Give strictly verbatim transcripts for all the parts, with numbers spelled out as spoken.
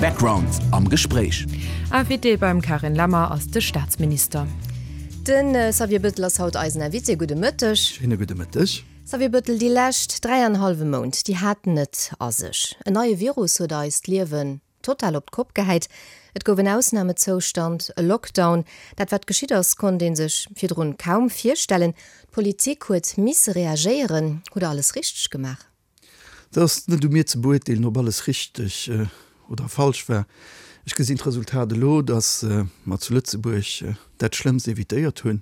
Background am Gespréich. Invité beim Carine Lemmer ass de Staatsminister. Den Xavier Bettel ass haut eisen Invité. Gudde Mëtteg. Schéine gudde Mëtteg. Xavier Bettel, déi lescht dräi an hallwe Mount, déi haten et a sech. En neie Virus huet eist Liewen total op d'Kopp gehäit. Et gouf en Ausnamezoustand, e Lockdown. Dat wat geschitt ass, konnt ee sech virdrun kaum virstellen. D'Politik huet misse reagéieren. Hutt Der alles richteg gemaach? Dat ass net u mir ze beurteelen, ob alles richteg oder falsch war. Ech gesinn d'Resultat elo, datt mer zu Lëtzebuerg dat Schlëmmst evitéiert hunn.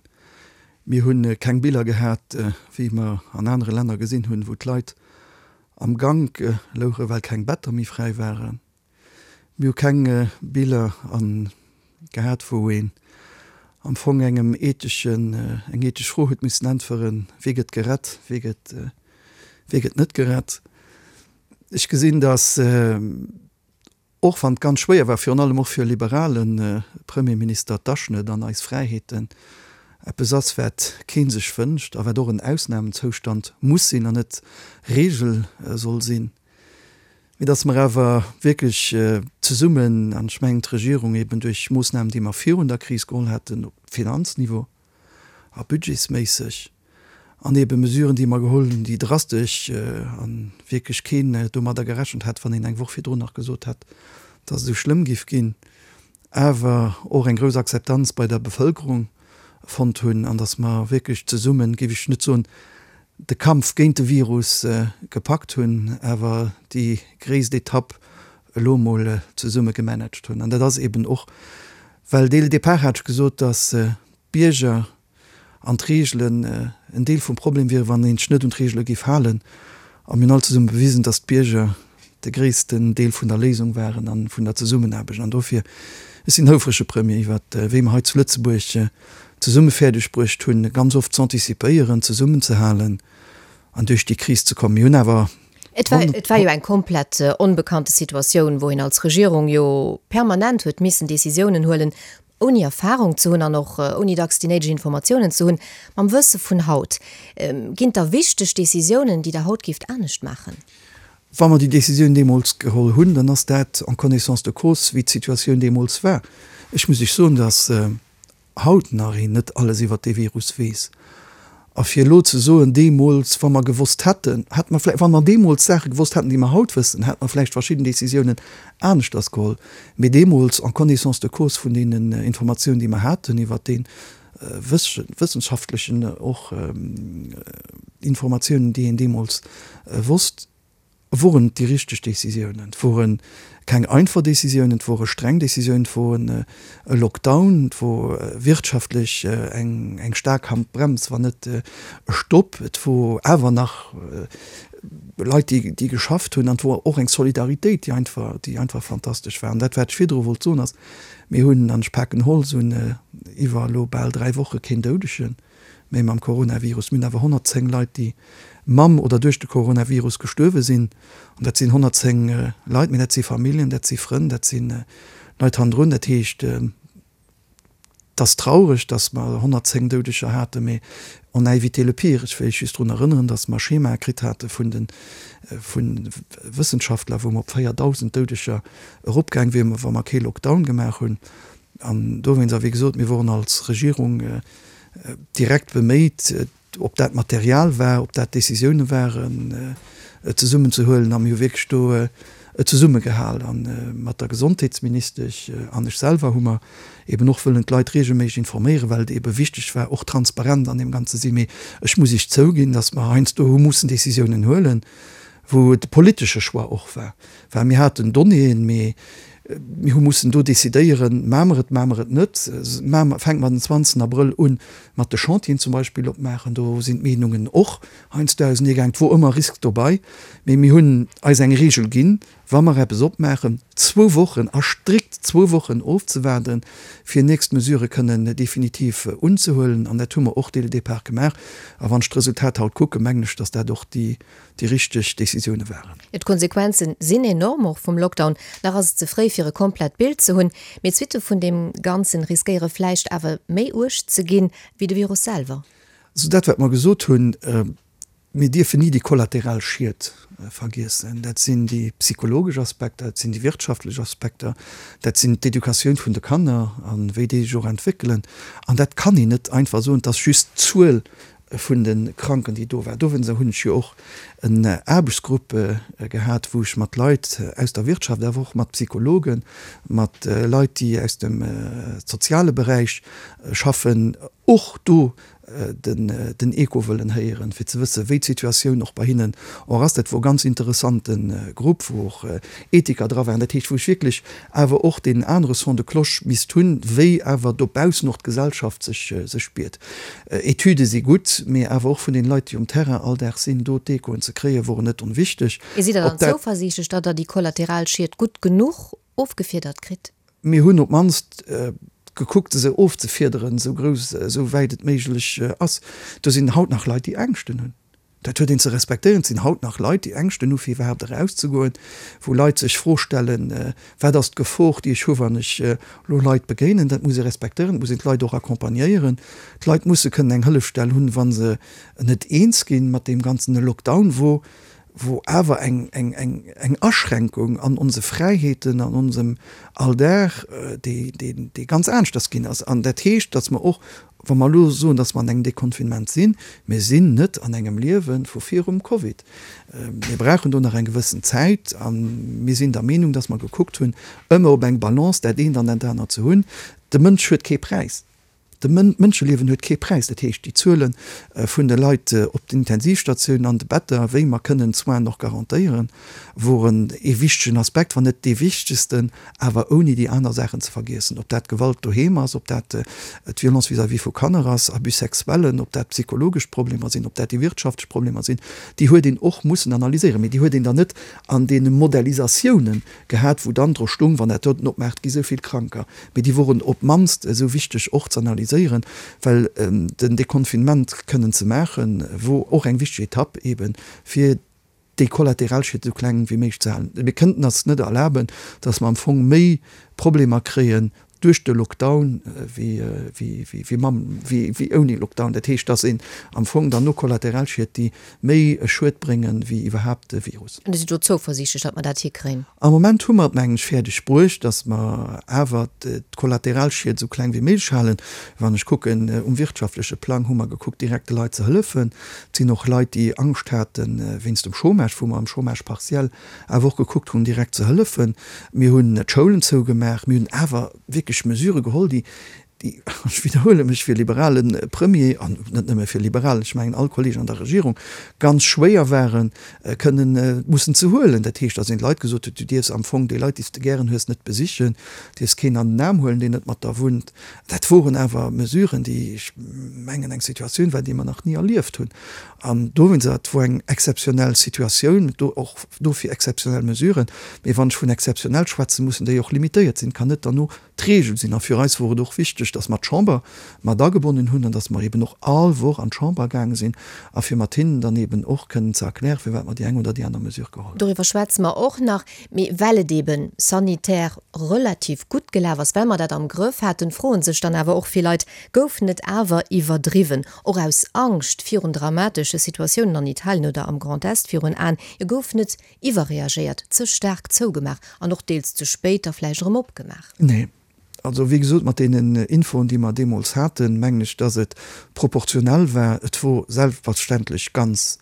Mir hu keng Biller gehat, wéi mer an anere Länner gesinn hunn, wou d'Leit am Gank louchen, well keng Better méi fräi waren. Mir hu keng Biller gehat, wou een am Fong engem etheschen, eng ethesch Fro huet missen äntweren, Wie gëtt gerett, wie gëtt, wie gëtt net gerett? Ech gesinn, datt, och wann et ganz schwéier war, virun allem och fir e liberale Premierminister, d'Aschnëtt an eis Fräiheeten eppes ass, wat kee sech wënscht a wat och en Ausnamezoustand muss sinn an net Regel soll sinn, mee datt mer awer wierklech zesummen, an ech mengen d'Regierung eben duerch Moossnamen, déi mer virun der Kris geholl haten op Finanzniveau a budgetsméisseg, an ebe Mesuren, déi mer geholl hunn, déi drastesch a wierklech keen domadder gerechent hätt, wann een eng Woch virdrun nach gesot hätt, datt et esou schlëmm géif ginn, awer och eng grouss Akzeptanz bei der Bevëlkerung fonnt hunn an datt mer wierklech zesummen, géif ech net soen, de Kampf géint de Virus gepackt hunn, awer déi gréisst Etapp elo emol zesumme gemanagt hunn. An dat ass eben och, well dès le départ hat ech gesot, datt d'Bierger an d'Reegelen en Deel vum Problem wieren, wann een sech net un d'Reegele géif halen. A mir hunn all zesumme bewisen, datt d'Bierger de gréissten Deel vun der Léisung waren a vun der Zesummenaarbecht. An dofir, ech sinn houfrege Premier iwwert wéi mer hei zu Lëtzebuerg zesumme fäerdeg bruecht hunn, ganz oft z'anticipéieren, zesummenzehalen an duerch déi Kris ze kommen. Mir hunn awer. Et war, et war jo eng komplett onbekannte Situatioun, wou een als Regierung jo permanent huet missen Decisiounen huelen, ouni Erfahrung ze hunn an och ouni dacks déi néideg Informatiounen ze hunn. Mam Wësse vun haut, ginn et da wichteg Decisiounen, déi Der haut géift anescht maachen? Wa mer déi Décisioun deemools geholl hunn, dann ass dat en connaissance de cause, wéi d'Situatioun deemools war. Ech muss Iech soen, dass haut nach een net alles iwwert dee Virus weess. A fir elo ze soen, deemools, wa mer gewosst hätten, hätte mer vläicht, wa mer deemools Saache gewosst hätten, déi mer haut wëssen, hätte mer vläicht verschidden Décisiounen aneschters geholl. Mee deemools, en connaissance de cause vun deenen Informatiounen, déi mer haten iwwert dee wëssenschaftlechen och Informatiounen, déi een deemools wosst, woren et déi richteg Décisiounen. Et wore keng einfach Décisiounen, et wore streng Décisiounen, et wor e Lockdown, et wor wirtschaftlech eng eng staark Handbrems, wann net e Stopp, et wor awer nach Leit, déi déi geschafft hunn an et wor och eng Solidaritéit, déi einfach déi einfach fantastesch war. An dat, wat ech virdru wollt soen, ass, mir hunn, an ech paken Holz un, iwwer elo bal dräi Woche keen Doudegen méi mam Coronavirus. Mir hunn awer honnertzéng Leit, déi mam oder duerch de Coronavirus gestuerwe sinn. An dat sinn honnertzéng Leit, mee dat si Familljen, dat si Frënn, dat si Leit hannendrun. Dat heescht, et ass traureg, datt mer honnertzéng Doudeger haten, mee on a évité le pire. Ech wéll just drun erënneren, datt mer Schemae kritt hate vun de vu Wëssenschaftler, wou mer op véierdausend Doudeger eropgaang wieren, wa mer kee Lockdown gemaach hunn. An dowéinst, a wéi gesot, mir woren als Regierung direkt beméit, ob dat Material war, ob dat Décisioune waren, et zesummen ze huelen. A mir hu wierklech do et zesummegehal. A mat der Gesondheetsministesch an ech selwer hu mer eben och wëllen d'Leit regelméisseg informéieren, well et ebe wichteg war, och transparent an deem Ganze sinn. Mee ech muss Iech zouginn, datt mer heiansdo hu mussen Décisiounen huelen, wou et e politesche Choix och war, well mir haten Donnéeën, mee mir hu mussen do decidéieren, Maache mer et, maache mer et net? Fänke mer den zwanzegsten Abrëll un mat de Chantieren zum Beispill opmaachen? Do sinn d'Meenungen och heiansdo auseneegaangen. Et wor ëmmer Risk dobei, mee mir hunn eis eng Reegel ginn, Wa mer eppes opmaachen, zwou Wochen a strikt zwou Wochen ofzewaarden, fir nächst Mesurë kënnen definitiv unzehuelen. An dat hu mer och dès le départ gemaach. A wann ech d'Resultat haut kucken, mengen ech, dass dat och déi déi richteg Décisioune waren. D'Konsequenze sinn enorm, och vum Lockdown. Nach ass et ze fréi fir e komplett Bild ze hunn, mee d'Suitte vun deem Ganzen riskéiere vläicht awer méi uerg ze ginn, wéi de Virus selwer. Also dat wat mer gesot hunn, Mir dierfen ni déi kollateral Schied vergiessen. Dat sinn déi psychologesch Aspekter, dat sinn déi wirtschaftlech Aspekter, dat sinn d'Educatioun vun de Kanner a wéi déi sech och entwéckelen. An dat kann een net einfach soen, et ass just d'Zuel vun de Kranken, déi do war. Dowéinster hunn ech jo och en Aarbechtsgrupp gehat, wou ech mat Leit aus der Wirtschaft, awer och mat Psychologen, mat Leit, déi aus dem soziale Beräich schaffen, och do den Echo wëllen héieren, fir ze wëssen, wéi d'Situatioun och bei hinnen och ass. Dat wor e ganz interessante Grupp, wou och Ethiker dra waren, dat heescht, wou ech wierklech awer och deen anere Son de cloche misst hunn, wéi awer dobaussen och d'Gesellschaft sech spiert. Etüde si gutt, mee awer och vun den Leit, déi um Terrain all Dag sinn, do d'Echoen ze kréien, woren net onwichteg. Sidd Der dann zouversiichtlech, datt Der déi kollateral Schied gutt genuch ofgefiedert kritt? Mir hunn op d'mannst gekuckt, se ofzefiederen, esou grouss, esou wäit et méiglech ass. Do sinn haut nach Leit, déi Ängschten hunn. Dat huet een ze respektéieren. Et sinn haut nach Leit, déi Ängschten hu fir iwwerhaapt erauszegoen, wou Leit sech d'Fro stellen, Wat ass d'Gefor, déi ech hu wann ech elo Leit begéinen? Dat muss ee respektéieren. Et muss een d'Leit och accompagnéieren. D'Leit musse kënnen eng Hëllefstell hunn, wa se net eens ginn mat deem ganzen Lockdown, wou wou awer eng, eng, eng, eng Aschränkung an onse Fräiheeten, an onsem Alldag, déi, déi, déi ganz aneschters ginn ass. An dat heescht, datt mer och, wa mer elo soen, datt mer an engem Deconfinement sinn, mir sinn net an engem Liewe vu virum Covid. Mir brauchen do nach eng gewëssen Zäit a mir sinn der Meenung, datt mer gekuckt hunn, ëmmer op eng Balance dat eent an dat anert ze hunn. De Mënsch huet kee Präis. De Mënscheliewen huet kee Präis. Dat heescht, déi Zuele vun de Leit op den Intensivstatiounen, an de Better, wéi mer kënnen d'Soinen och garantéieren, woren ee wichtegen Aspekt, wann net dee wichtegsten, awer ouni déi aner Saachen ze vergiessen, ob dat Gewalt doheem ass, ob dat d'Violence vis-à-vis vu Kanner ass, Abus sexuellen, ob dat psychologesch Problemer sinn, ob dat déi wirtschaftlech Problemer sinn, déi huet een och mussen analyséieren. Mee déi huet een dann net an deene Modellisatiounen gehat, wou dann dru stung, wann dat doten opmaacht, gi sou vill Kranker. Mee déi woren op d'mannst esou wichteg och ze analyséieren, well den Deconfinement kënnen ze maachen, wor och eng wichteg Etapp eeben, fir déi Kollateralschied esou kleng wéi méiglech ze halen. Mir kënnten eis net erlaben, datt mer am Fong méi Problemer kréien duerch de Lockdown wéi mam, wéi ouni Lockdown. Dat heescht, datt een am Fong dann no Kollateralschied, déi méi Schued bréngen wéi iwwerhaapt de Virus. An Dir sidd do zouversiichtlech, datt mer dat hikréien? Am Moment hu mer et, mengen ech, fäerdeg bruecht, datt mer awer d'Kollateralschied esou kleng wéi méiglech halen. Wann ech kucken, um wirtschaftleche Plang hu mer gekuckt, direkt de Leit ze hëllefen. Et sinn och Leit, déi Angscht hate wéinst dem Chômage, wou mer am Chômage partiel awer och gekuckt hunn, direkt ze hëllefen. Mir hunn d'Schoulen zougemaach. Mir hunn awer wierklech Mesurë geholl, déi, déi, ech widderhuele mech, fir e liberale Premier, an net nëmme fir e Liberalen, ech mengen all Kolleegen an der Regierung, ganz schwéier waren, kënnen mussen ze huelen. Dat heescht, datt een de Leit gesot huet, du dierfs am Fong déi Leit, déi s de gären hues, net besichen, dierfs keen an den Aarm huelen, deen net mat der wunnt. Dat woren awer Mesuren, déi, ech mengen, eng Situatioun war, déi mer nach ni erlieft hunn. An dowéinst, et wor eng exzeptionell Situatioun, do och dofir exzeptionell Mesuren. Mee wann ech vun exzeptionell schwätzen, mussen déi och limitéiert sinn, kann net derno d'Regel sinn. A fir eis wor et och wichteg, datt mer d'Chamber mat agebonnen hunn an datt mer eben och all Woch an d'Chamber gaange sinn a fir mat hinnen dann eben och kënnen ze erklären, firwat mer déi eng oder déi aner Mesure geholl hunn. Doriwwer schwätze mer och nach. Mee well et eben sanitär relativ gutt gelaf ass, well mer dat am Grëff haten, froen sech dann awer och vill Leit, Gouf net awer iwwerdriwwen, och aus Angscht virun dramatesche Situatiounen an Italien oder am Grand Est virun Aen? Jo, gouf net iwwerreagéiert, ze staark zougemaach an och deels ze spéit da vläicht erëm opgemaach? Nee. Also, wéi gesot, mat deenen Infoen, déi mer deemools haten, mengen ech, dass et proportionell war. Et wor selbstverständlech ganz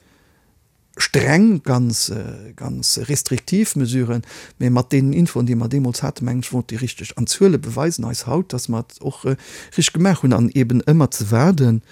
streng, ganz, ganz restriktiv Mesuren, mä mat deenen Infoen, déi mer deemools haten, mengen ech, wor et déi richteg. An d'Zuele beweisen eis haut, dass mer et och richteg gemaach hunn. An eeben ëmmer ze waarden,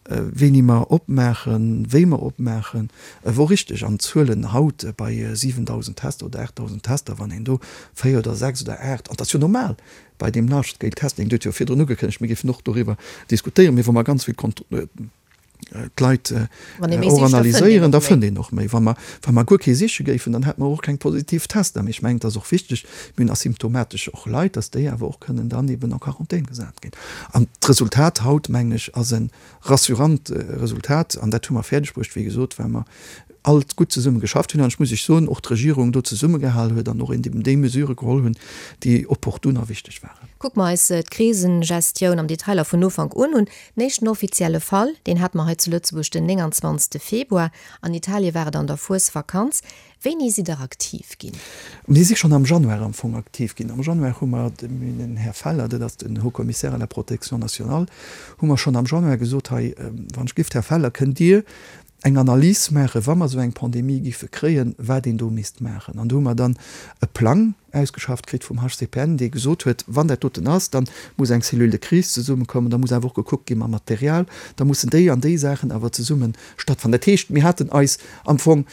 wéini mer opmaachen, wéi mer opmaachen, wor richteg. An d'Zuelen haut bei siwendausend Tester oder aachtdausend Tester, wann een do véier oder sechs oder aacht, an dat ass jo normal bei deem Large Scale Testing, Dir hutt jo virdrun ugekënnegt, mir géifen och doriwwer diskutéieren, mee wa mer ganz vill d'Leit och analyséieren, da fënnt een och méi. Wa mer, wa mer guer kee siche géifen, dann hätte mer och keng positiv Tester. Mee ech mengen, et ass och wichteg, mir hunn asymptomatesch och Leit, dass déi awer och kënnen dann eben en Quarantän gesat ginn. An d'Resultat haut, mengen ech, ass e rassurant Resultat. An dat hu mer fäerdegbruecht, wéi gesot, well mer all gutt zesumme geschafft hunn an, ech muss Iech soen, och d'Regierung do zesummegehal huet an och eben déi Mesurë geholl hunn, déi opportun a wichteg waren. Kucke mer eis d'Krisengestioun am Detailer vun Ufank un un. Den éischten offizielle Fall, deen hate mer hei zu Lëtzebuerg den nénganzwanzegste Februar. An Italie war et an der Fuesvakanz. Wéini sidd Der aktiv ginn? Mir si schonn am Januar am Fong aktiv ginn. Am Januar hu mer dem Här Feller, dat ass den Haut-Commissaire à la protection nationale, hu mer schonn am Januar gesot, hei, wann ech giff, Här Feller, kënnt Dir eng Analys maachen, wa mer esou eng Pandemie giffe kréien, wat een do misst maachen. An do hu mer dann e Plang ausgeschafft kritt vum H C P N, dee gesot huet, wann dat doten ass, da muss eng Cellule de crise zesummekommen, da muss awer och gekuckt gi mam Material, da mussen déi an déi Saachen awer zesumme stattfannen. Dat heescht, mir haten eis am Fong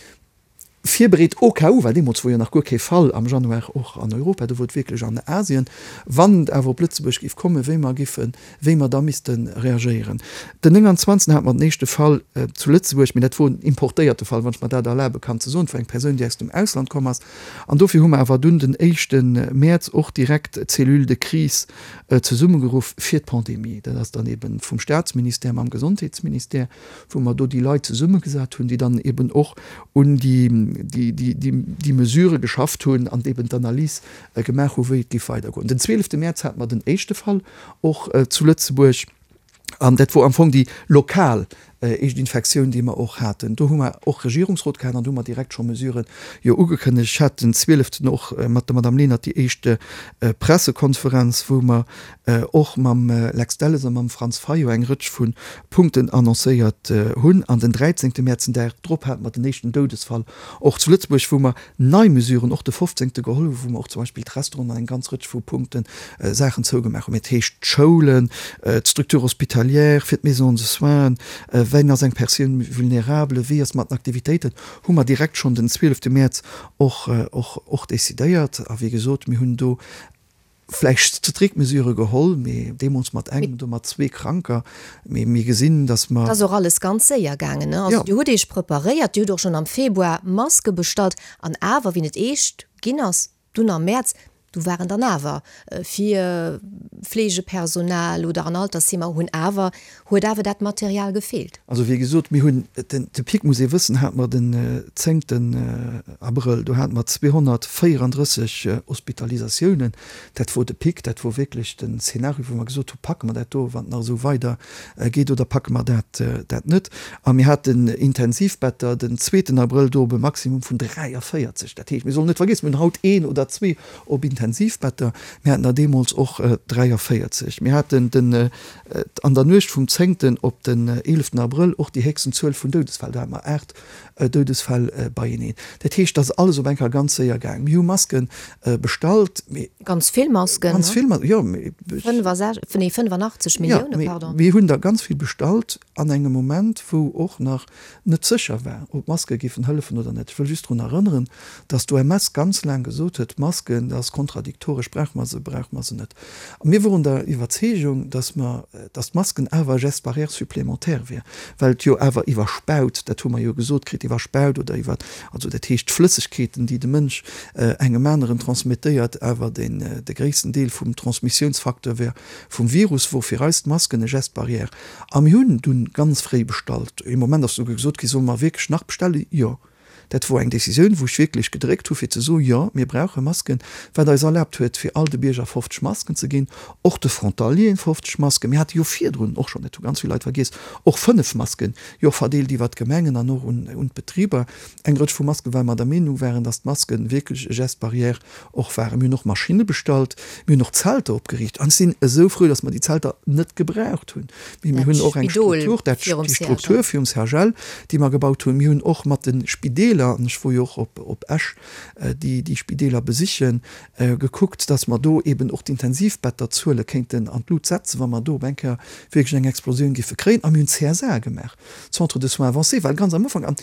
virbereet au cas où, well deemools wor jo nach guer kee Fall am Januar och an Europa, do wor et wierklech an Asien, wann et awer op Lëtzebuerg géif kommen, wéi mer giffen, wéi mer da misste reagéieren. Den nénganzwanzegsten hate mer den éischte Fall zu Lëtzebuerg, mee dat wor en importéierte Fall, wann ech mer dat erlabe kann ze soen, et wor eng Persoun, déi aus dem Ausland komm ass. An dofir hu mer awer dunn den éischte Mäerz och direkt d'Cellule de crise zesummegeruff fir d'Pandemie. Dat ass dann eeben vum Staatsministère mam Gesondheetsministère, wou mer do déi Leit zesummegesat hunn, déi dann eben och un déi, déi, déi, déi, déi Mesurë geschafft hunn an eben d'Analys gemaach hu wéi et géif weidergoen. Den zwielefte Mäerz hate mer den éischte Fall och zu Lëtzebuerg an dat wor am Fong déi lokal éischt Infektioun, déi mer och haten. Do hu mer och Regierungsrot gehat an do hu mer direkt scho Mesuren jo ugekënnegt. Ech hat den zwieleften och mat der Madame Lenert déi éischt Pressekonferenz, wou mer och mam Lex Delles a mam Franz Fayot eng Rëtsch vu Punkten annoncéiert hunn. An den dräizéngte Mäerz, den Dag drop, hate mer den éischten Doudesfall och zu Lëtzebuerg, wou mer nei Mesuren och de fofzéngte geholl hunn, wou mer och zum Beispill d'Restauranten an eng ganz Rëtsch vu Punkten Saachen zougemaach hunn, dat heescht d'Schoulen, d'Structures hospitalières, fir d'Maisons de soins, wien ass eng Persoun vulnérable, wéi ass mat den Aktivitéiten, hu mer direkt schonn den zwielefte Mäerz och, och, och decidéiert. A wéi gesot, mir hunn do vläicht strikt Mesurë geholl, mee deemools mat engem, do mat zwee Kranker, mee mir gesinn, datt mer. Et ass och alles ganz séier gaangen, ne? Also Dir hutt Iech preparéiert, Dir hutt och schonn am Februar Maske bestallt an awer, wéi et eescht ginn ass, dunn am Mäerz, do waren dann awer fir Fleegepersonal oder an Altersheemer hunn awer, huet awer dat Material gefeelt. Also wéi gesot, mir hunn den, de Pic, muss ee wëssen, hate mer den zéngten Abrëll, do hate mer zweehonnertvéierandrësseg Hospitalisatiounen. Dat wor de Pic, dat wor wierklech den Szenario, wou mer gesot hu packe mer dat do, wann et nach esou weider geet, oder packe mer dat, dat net. A mir haten Intensivbetter den zweeten Abrëll do op e Maximum vun dräiavéierzeg. Dat heescht, mir sollen net vergiessen, mir hunn haut een oder zwee op Intensivbetter, mir haten der deemools och dräiavéierzeg. Mir haten den, an der Nuecht vum zéngten op den eeleften Abrëll och déi héchsten Zuel vun Doudesfäll, do hate mer aacht Doudesfäll beieneen. Dat heescht, et ass alles op eng Kéier ganz séier gaang. Mir hu Masken bestallt, mee. Ganz vill Masken, Ganz vill Masken, jo, mee. Nee, fënnefenachtzeg Millioune, pardon. Jo, mee mir hunn der ganz vill bestallt an engem Moment, wou och nach net sécher war, ob d'Maske géifen hëllefen oder net. Ech wëll just drun erënneren, dass d'O M S ganz laang gesot huet, D'Masken, dat ass kontradiktoresch, brauche mer se, brauche mer se net. A mir woren der Iwwerzeegung, dass mer, dass d'Masken awer e Geste barrière supplémentaire wier, well et jo awer iwwer Spaut, dat hu mer jo gesot kritt, iwwer Spaut oder iwwer, also dat heescht d'Flëssegkeeten, déi de Mënsch engem aneren transmettéiert, awer den, de gréissten Deel vum Transmissiounsfacteur wär vum Virus, wor fir eis d'Masken e Geste barrière. A mir hunn dunn ganz fréi bestallt. Ee Moment ass souguer gesot gi, solle mer wierklech nach bestellen? Jo. Dat wor eng Decisioun, wou ech wierklech gedréckt hu fir ze soen, jo, mir brauche Masken, wat eis erlaabt huet, fir all de Bierger fofzeg Masken ze ginn, och de Frontalieren fofzeg Masken. Mir hate jo virdrun och schonn, dat hu ganz vill Leit vergiess, och fënnef Masken jo verdeelt iwwert d'Gemengen an och un un d'Betriber, eng Rëtsch vu Masken, well mer der Meenung waren, datt d'Masken wierklech e Geste barrière och waren. Mir hunn och Maschinne bestallt, mir hunn och Zelter opgeriicht an ech sinn esou frou, datt mer déi Zelter net gebraucht hunn. Mee mir Dat hunn och eng Spidol Struktur, dat virum déi Struktur C H L. virum C H L, déi mer gebaut hunn. Mir hunn och mat de Spideeler, an ech wor jo och op op Esch déi déi Spideeler besichen, gekuckt, datt mer do eben och d'Intensivbetterzuele kéinten an d'Lut setzen, wa mer do op eng Kéier wierklech eng Explosioun géife kréien. A mir hunn C S A gemaach, Centre de soins avancés, well ganz am Ufank, an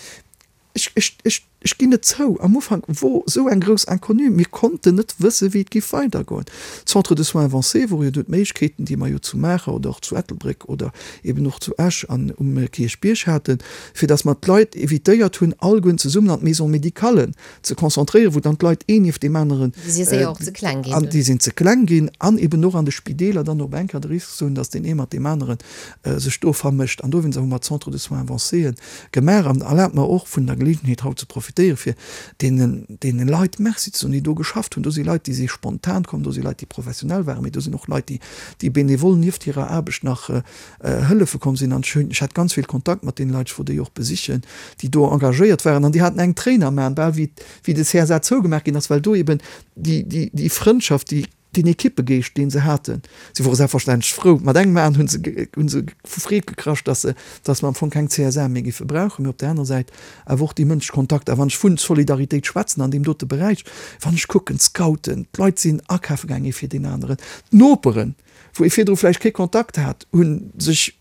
ech ech ech ech ginn et zou, am Ufank wor esou eng grouss Inconnue, mir konnten net wësse wéi et géif weidergoen. Centre de soins avancés wor jo do d'Méiglechkeeten, déi mer jo zu Maacher oder och zu Ettelbréck oder eben och zu Esch an um Kierchbierg haten, fir datt mer d'Leit évitéiert hunn, allegueren zesummen an d'Maisons médicales ze konzentréieren, wou dann d'Leit een nieft deem aneren Déi si séier och ze kleng ginn an dunn. déi sinn ze kleng ginn an eben och an de Spideeler dann op eng Kéier de Risk ze hunn, datt deen ee mat deem aneren sech do vermëscht. An dowéinst hu mer d'Centres de soins avancéen gemaach. An erlaabt mer och vun der Geleeënheet haut ze profitéieren, fir deenen, deene Leit Merci ze soen, déi do geschafft hunn. Do si Leit, déi si spontan komm, do si Leit, déi professionell waren, mee do sinn och Leit, déi, déi benevol nieft hirer Aarbecht nach hëllefe komm sinn. An ech hunn, ech hat ganz vill Kontakt mat deene Leit, ech wollt déi och besichen, déi do engagéiert waren. An déi haten eng Tréin am Aen, bal wéi, wéi de C S A zougemaach ginn ass, well do eben déi, déi, déi Frëndschaft, déi, deen Ekippegeescht, dee se haten, si wore selbstverständlech frou. Mat engem Aen hu se, hu se vu Freed gekrasch, dass se, dass mer am Fong keng C S A méi géife brauchen, mee op där anerer Säit awer och déi mënschlech Kontakter. A wann ech vu Solidaritéit schwätzen an deem dote Beräich, wann ech kucken, d'Scouten, d'Leit sinn akafe gaang ee fir deen aneren, d'Noperen, wou ee virdru vläicht kee Kontakt hat, hu sech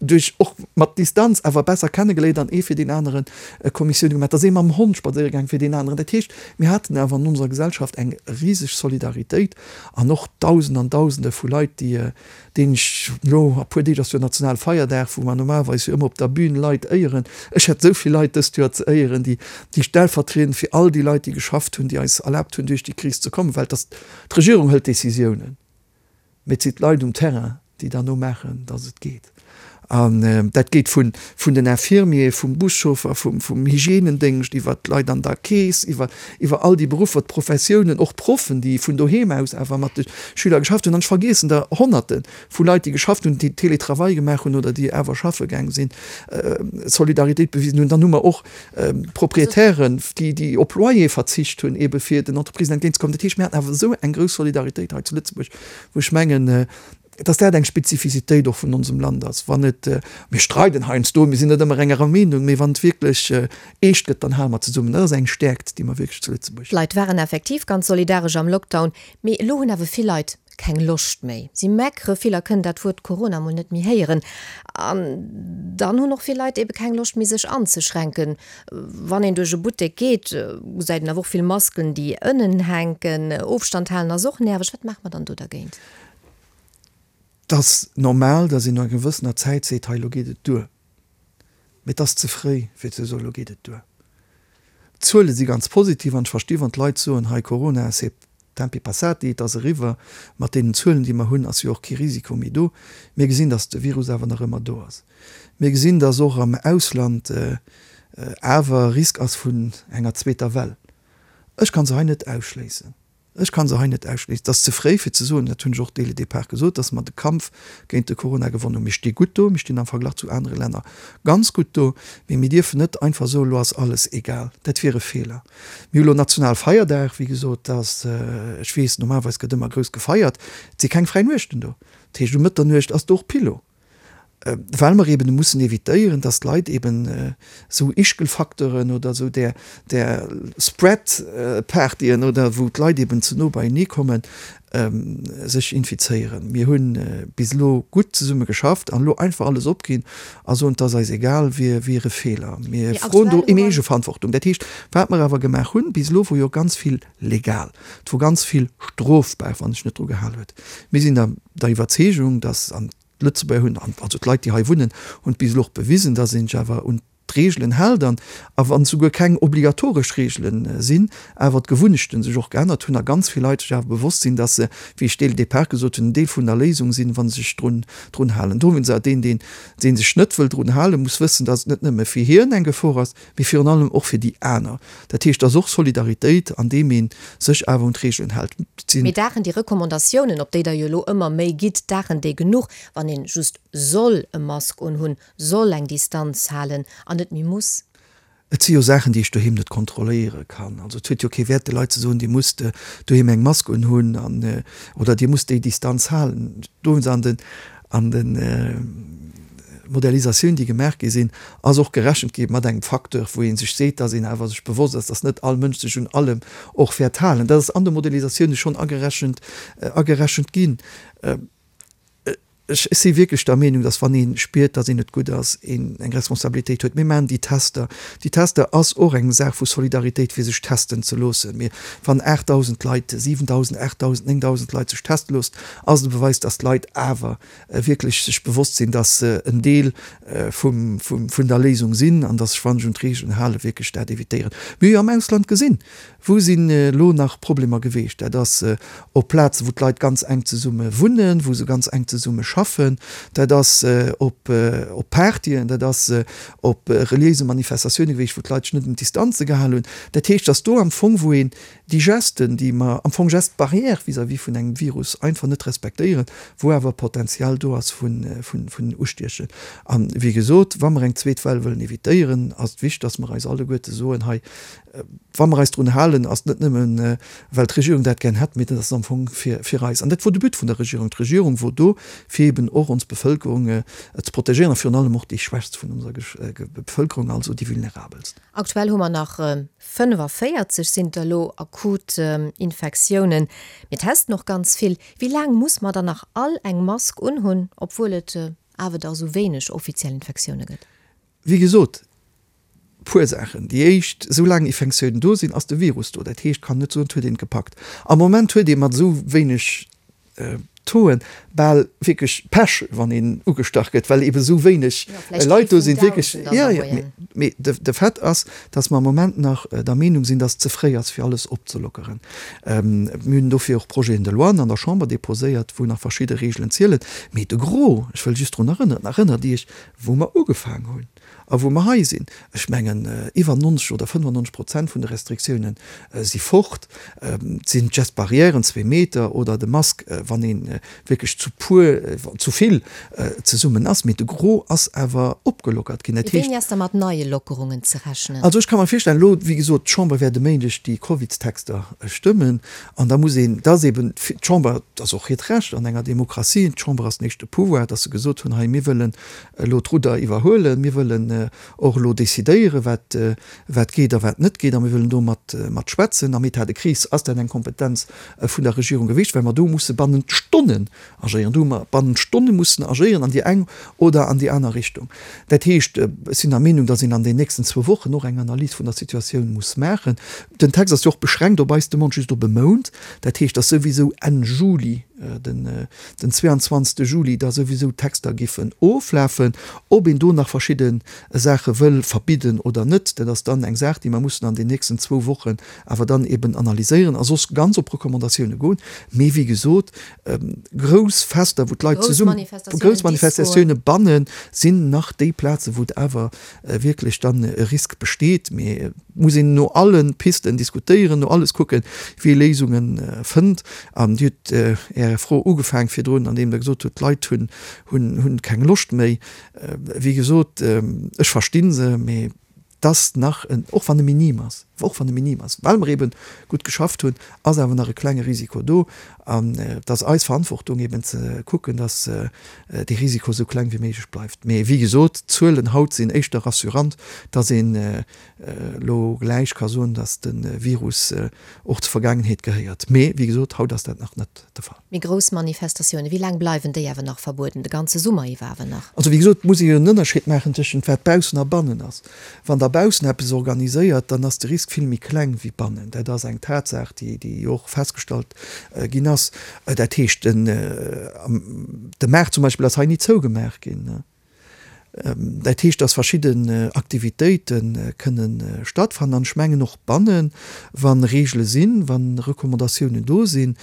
duerch och mat Distanz awer besser kennegeléiert an ee fir deen aneren Kommissioune gemaach. Da si mam Hond spadséiere gaang fir deen aneren. Dat heescht, mir haten awer an onser Gesellschaft eng riseg Solidaritéit an och Dausende an Dausende vu Leit, déi, deenen ech elo, a puer Deeg ass jo Nationalfeierdag, wou mer normalerweis jo ëmmer op der Bühn Leit éieren, ech hätt esou vill Leit dëst Joer ze éieren, déi, déi stellvertriedend fir all déi Leit, déi geschafft hunn, déi eis erlaabt hunn, duerch déi Kris ze kommen, well et ass, d'Regierung hëlt Décisiounen, mee et sinn d'Leit um Terrain, déi derno maachen, dass et geet. An dat geet vun den Infirmier, vum Buschauffer, vum Hygienendéngscht iwwer d'Leit an der Keess, iwwer iwwer all déi Beruffer, d'Professiounen, och d'Proffen, déi vun doheem aus awer mat de Schüler geschafft hunn. An ech vergiessen der Honnerte vu Leit, déi geschafft hunn, déi Teletravail gemaach hunn oder déi awer schaffe gaang sinn, Solidaritéit bewisen hunn. Dann hu mer och Proprietären, déi déi op Loyer verzicht hunn, eebe fir den Entreprisen entgéintzekommen. Dat heescht, mir haten awer esou eng grouss Solidaritéit hei zu Lëtzebuerg, wou ech mengen, dass dat eng Spezifizitéit och vun onsem Land ass, wann et, mir streiden heiansdo, mir sinn net ëmmer enger Meenung, mee wann et wierklech eescht gëtt, dann hale mer zesummen. Dat ass eng Stäerkt, déi mer wierklech zu Lëtzebuerg hunn. D'Leit waren effektiv ganz solidaresch am Lockdown, mee elo hunn awer vill Leit keng Loscht méi. Si meckere vill a kënnen dat Wuert Corona mol net méi héieren. An dann hunn och vill Leit ebe keng Loscht méi sech anzeschränken. Wann een duerch e Buttek geet, gesäit een awer och vill Masken, déi ënnen hänken. Ofstand halen ass och nerveg. Wat maache mer dann do dergéint? Et ass normal, datt een no enger gewëssener Zäit seet, hei elo geet et duer. Mee et ass ze fréi, fir ze soen, elo geet et duer. D'Zuele si ganz positiv an ech versti wann d'Leit soen, hei Corona, c'est tempi passati, et ass eriwwer. Mat deenen Zuelen, déi mer hunn, ass jo och kee Risiko méi do. Mir gesinn, datt de Virus awer nach ëmmer do ass. Mir gesinn, datt och am Ausland awer Risk ass vun enger zweeter Well. Ech ka se hei net ausschléissen. Ech ka se hei net ausschléissen. Et ass ze fréi fir ze soen, dat hunn ech och dès le départ gesot, datt mer de Kampf géint de Corona gewonnen hunn. Mir sti gutt do, mir stinn am Verglach zu anere Länner ganz gutt do, mee mir dierfen net einfach soen, elo ass alles egal. Dat wier e Feeler. Mir hu elo Nationalfeierdag, wéi gesot, dass, ech weess, normalerweis gëtt ëmmer grouss gefeiert, et si keng fräi Nuechten do. Dat heescht, um Mëtternuecht ass do och Pillo. well mer eben mussen évitéieren, dass d'Leit eben esou Ischgelfacteuren oder esou där, där Spread-Partyen oder wou d'Leit eben ze no beienee kommen, sech infizéieren. Mir hu bis elo gutt zesumme geschafft an elo einfach alles opginn a soen, et ass eis egal, wier, wier e Feeler. Mir froen do eng Eegeverantwortung. Dat heescht, wat mer awer gemaach hunn bis elo, wor jo ganz vill legal, et wor ganz vill strofbar, wann sech net dru gehal huet. Mir sinn der, der Iwwerzeegung, dass, an D'Lëtzebuerger hunn, also d'Leit, déi hei wunnen, hunn et bis elo och bewisen, datt ee sech awer un d'Reegelen hält an, a wann souguer keng obligatoresch Reegelen sinn, awer d'Gewunnechten sech och geännert hunn a ganz vill Leit sech awer bewosst sinn, datt se, wéi ech dès le départ gesot hunn, en Deel vun der Léisung sinn, wa se sech drun, drun halen. Dowéinst awer, deen, deen, dee sech net wëll drun halen, muss wëssen, datt et net nëmme fir hien eng Gefor ass, mee virun allem och fir déi aner. Dat heescht, et ass och Solidaritéit, andeem ee sech awer un d'Reegelen hält. Mee daachen déi Recommandatiounen, op déi Der jo elo ëmmer méi gitt, daachen déi genuch, wann een just soll e Mask unhunn, soll eng Distanz halen an net méi muss? Et si jo Saachen, déi ech doheem net kontrolléiere kann. Also et huet jo kee Wäert, de Leit ze soen, Dir musst doheem eng Mask unhunn an, oder Dir musst déi Distanz halen. Dowéinst an den, an de Modellisatioun, déi gemaach gi sinn, ass och gerechent gi mat engem Facteur, wou ee sech seet, dass een awer sech bewosst ass, dass net all Mënsch sech un allem och wäert halen. Dat ass an de Modellisatioune schonn agerechent, agerechent ginn. Ech si wierklech der Meenung, dass wann ee spiert, dass een net gutt ass, een eng Responsabilitéit huet. Mir maachen déi Tester. Déi Tester ass och eng Saach vu Solidaritéit, fir sech testen ze loossen. Mee wann aachtdausend Leit, siwendausend, aachtdausend, néngdausend Leit sech teste loossen, ass et e Beweis, dass d'Leit awer wierklech sech bewosst sinn, dass se en Deel vum, vun der Léisung sinn an dass sech, wa sech un d'Reegelen halen, wierklech dat evitéieren. Mir hu jo am Ausland gesinn, wou sinn elo nach Problemer geweecht. Dat ass op Plazen, wou d'Leit ganz enk zesumme wunnen, wou se ganz enk zesumme schaffen. Schaffen, dat ass op op Partyen, dat ass op reliéise Manifestatioune gewiescht, wou d'Leit sech net un d'Distanze gehal hunn. Dat heescht, dass do am Fong, wou een déi Gesten, déi mer am Fong Gestes barrières vis-à-vis vun engem Virus einfach net respektéieren, wou awer Potenzial do ass vun vun Ustiechen. An, wéi gesot, wa mer eng zweet Well wëllen evitéieren, ass et wichteg, dass mer eis alleguerte soen, hei, wa mer eis drun halen, ass et net nëmmen, well d'Regierung dat gär hätt, mee dat ass am Fong fir fir eis. An dat wor de But vun der Regierung. D'Regierung wor do, fir eben och ons Bevëlkerung ze protegéieren a virun allem och déi Schwächst vun onser Bevëlkerung, also déi Vulnerabelst. Aktuell hu mer nach fënnefaféierzeg sinn der elo akut Infektiounen. Mir testen och ganz vill. Wéi laang muss mer dann nach all eng Mask unhunn, obwuel et awer da sou wéineg offiziell Infektioune gëtt? Wéi gesot, puer Saachen. Déi éischt, esou laang Infektiounen do sinn, ass de Virus do. Dat heescht, kann net soen, et huet een et gepackt. Am Moment huet ee mat esou wéineg Tauxen bal wierklech Pech, wann een ugestach gëtt, well eebe sou wéineg Leit do sinn. Wierklech, jo, jo. Mee de Fait ass, dass mer am Moment nach der Meenung sinn, dass et ze fréi ass, fir alles opzelockeren. Mir hunn dofir och Projeten de loi an der Chamber deposéiert, wou nach verschidde Reegelen zielen. Mee de Gros, ech wëll just drun erënneren, erënnert Iech, wou mer ugefaang hunn a wou mer hei sinn, ech mengen, iwwer nonzeg oder fënnefannonzeg Prozent vun de Restriktiounen si fort. Et sinn d'Gestes barrières, zwee Meter oder de Mask, wann ee wierklech zu puer, zu vill zesummen ass. Mee de Gros ass awer opgelockert ginn. Dat heescht. Wéini ass da mat neie Lockerungen ze rechnen? Also ech ka mer virstellen, elo, wéi gesot, d'Chamber wäert e Méindeg déi Covidstexter stëmmen an da muss een, dat ass eeben d'Chamber, dat ass och hiert Recht an enger Demokratie, d'Chamber ass den éischte Pouvoir, datt se gesot hunn, hei mir wëllen elo d'Rudder iwwerhuelen, mir wëllen och elo decidéieren, wat wat geet a wat net geet, a mir wëllen do mat mat schwätzen. Am État de crise ass dat eng Kompetenz vun der Regierung gewiescht, well mer do musse bannent Stonnen agéieren, do hu mer bannent Stonne mussen agéieren an déi eng oder an déi aner Richtung. Dat heescht, ech sinn der Meenung, datt een an den nächsten zwou Wochen och eng Analys vun der Situatioun muss maachen. Den Text ass jo och beschränkt op eis Demande just op e Mount. Dat heescht, datt souwisou Enn Juli, den den zweeanzwanzegste Juli da souwisou d'Texter giffen oflafen. Ob een do nach verschidde Saache wëll verbidden oder net, dat ass dann eng Saach, déi mer mussen an den nächsten zwou Wochen awer dann eben analyséieren a soss ganz op Recommandatioune goen. Mee wéi gesot, grouss Fester, wou d'Leit zesummen, grouss Manifestatioune bannen, sinn nach déi Plazen, wou et awer wierklech dann e Risk besteet. Mee et muss een no alle Pisten diskutéieren, no alles kucken, wéi ee Léisunge fënnt. An Dir hutt Är Fro ugefaang virdrun, andeem Der gesot hutt, d'Leit hunn, hunn, hunn keng Loscht méi. Wéi gesot, ech versti se, mee et ass nach en, och wann e minim ass, och wann e minim ass, well mer eebe gutt geschafft hunn, ass awer nach e klenge Risiko do. An et ass eis Verantwortung eeben ze kucken, dass dee Risiko esou kleng wéi méiglech bleift. Mee wéi gesot, d'Zuelen haut sinn éischter rassurant, dass een elo gläich ka soen, dass de Virus och zur Vergaangenheet gehéiert. Mee wéi gesot, haut ass dat nach net de Fall. Méi grouss Manifestatiounen, wéi laang bleiwen déi awer nach verbueden? De ganze Summer iwwer awer nach? Also wéi gesot, muss ee jo en Ënnerscheed maachen tëschent wat baussen a bannen ass. Wann Der baussen eppes organiséiert, dann ass de Risk vill méi kleng wéi bannen. Dat ass eng Tatsaach, déi déi jo och festgestallt ginn ass. Dat heescht, den de Maart zum Beispill ass hei ni zougemaach ginn. Dat heescht, dass verschidden Aktivitéite kënne stattfannen. An ech mengen och bannen, wa Reegele sinn, wa Recommandatiounen do sinn,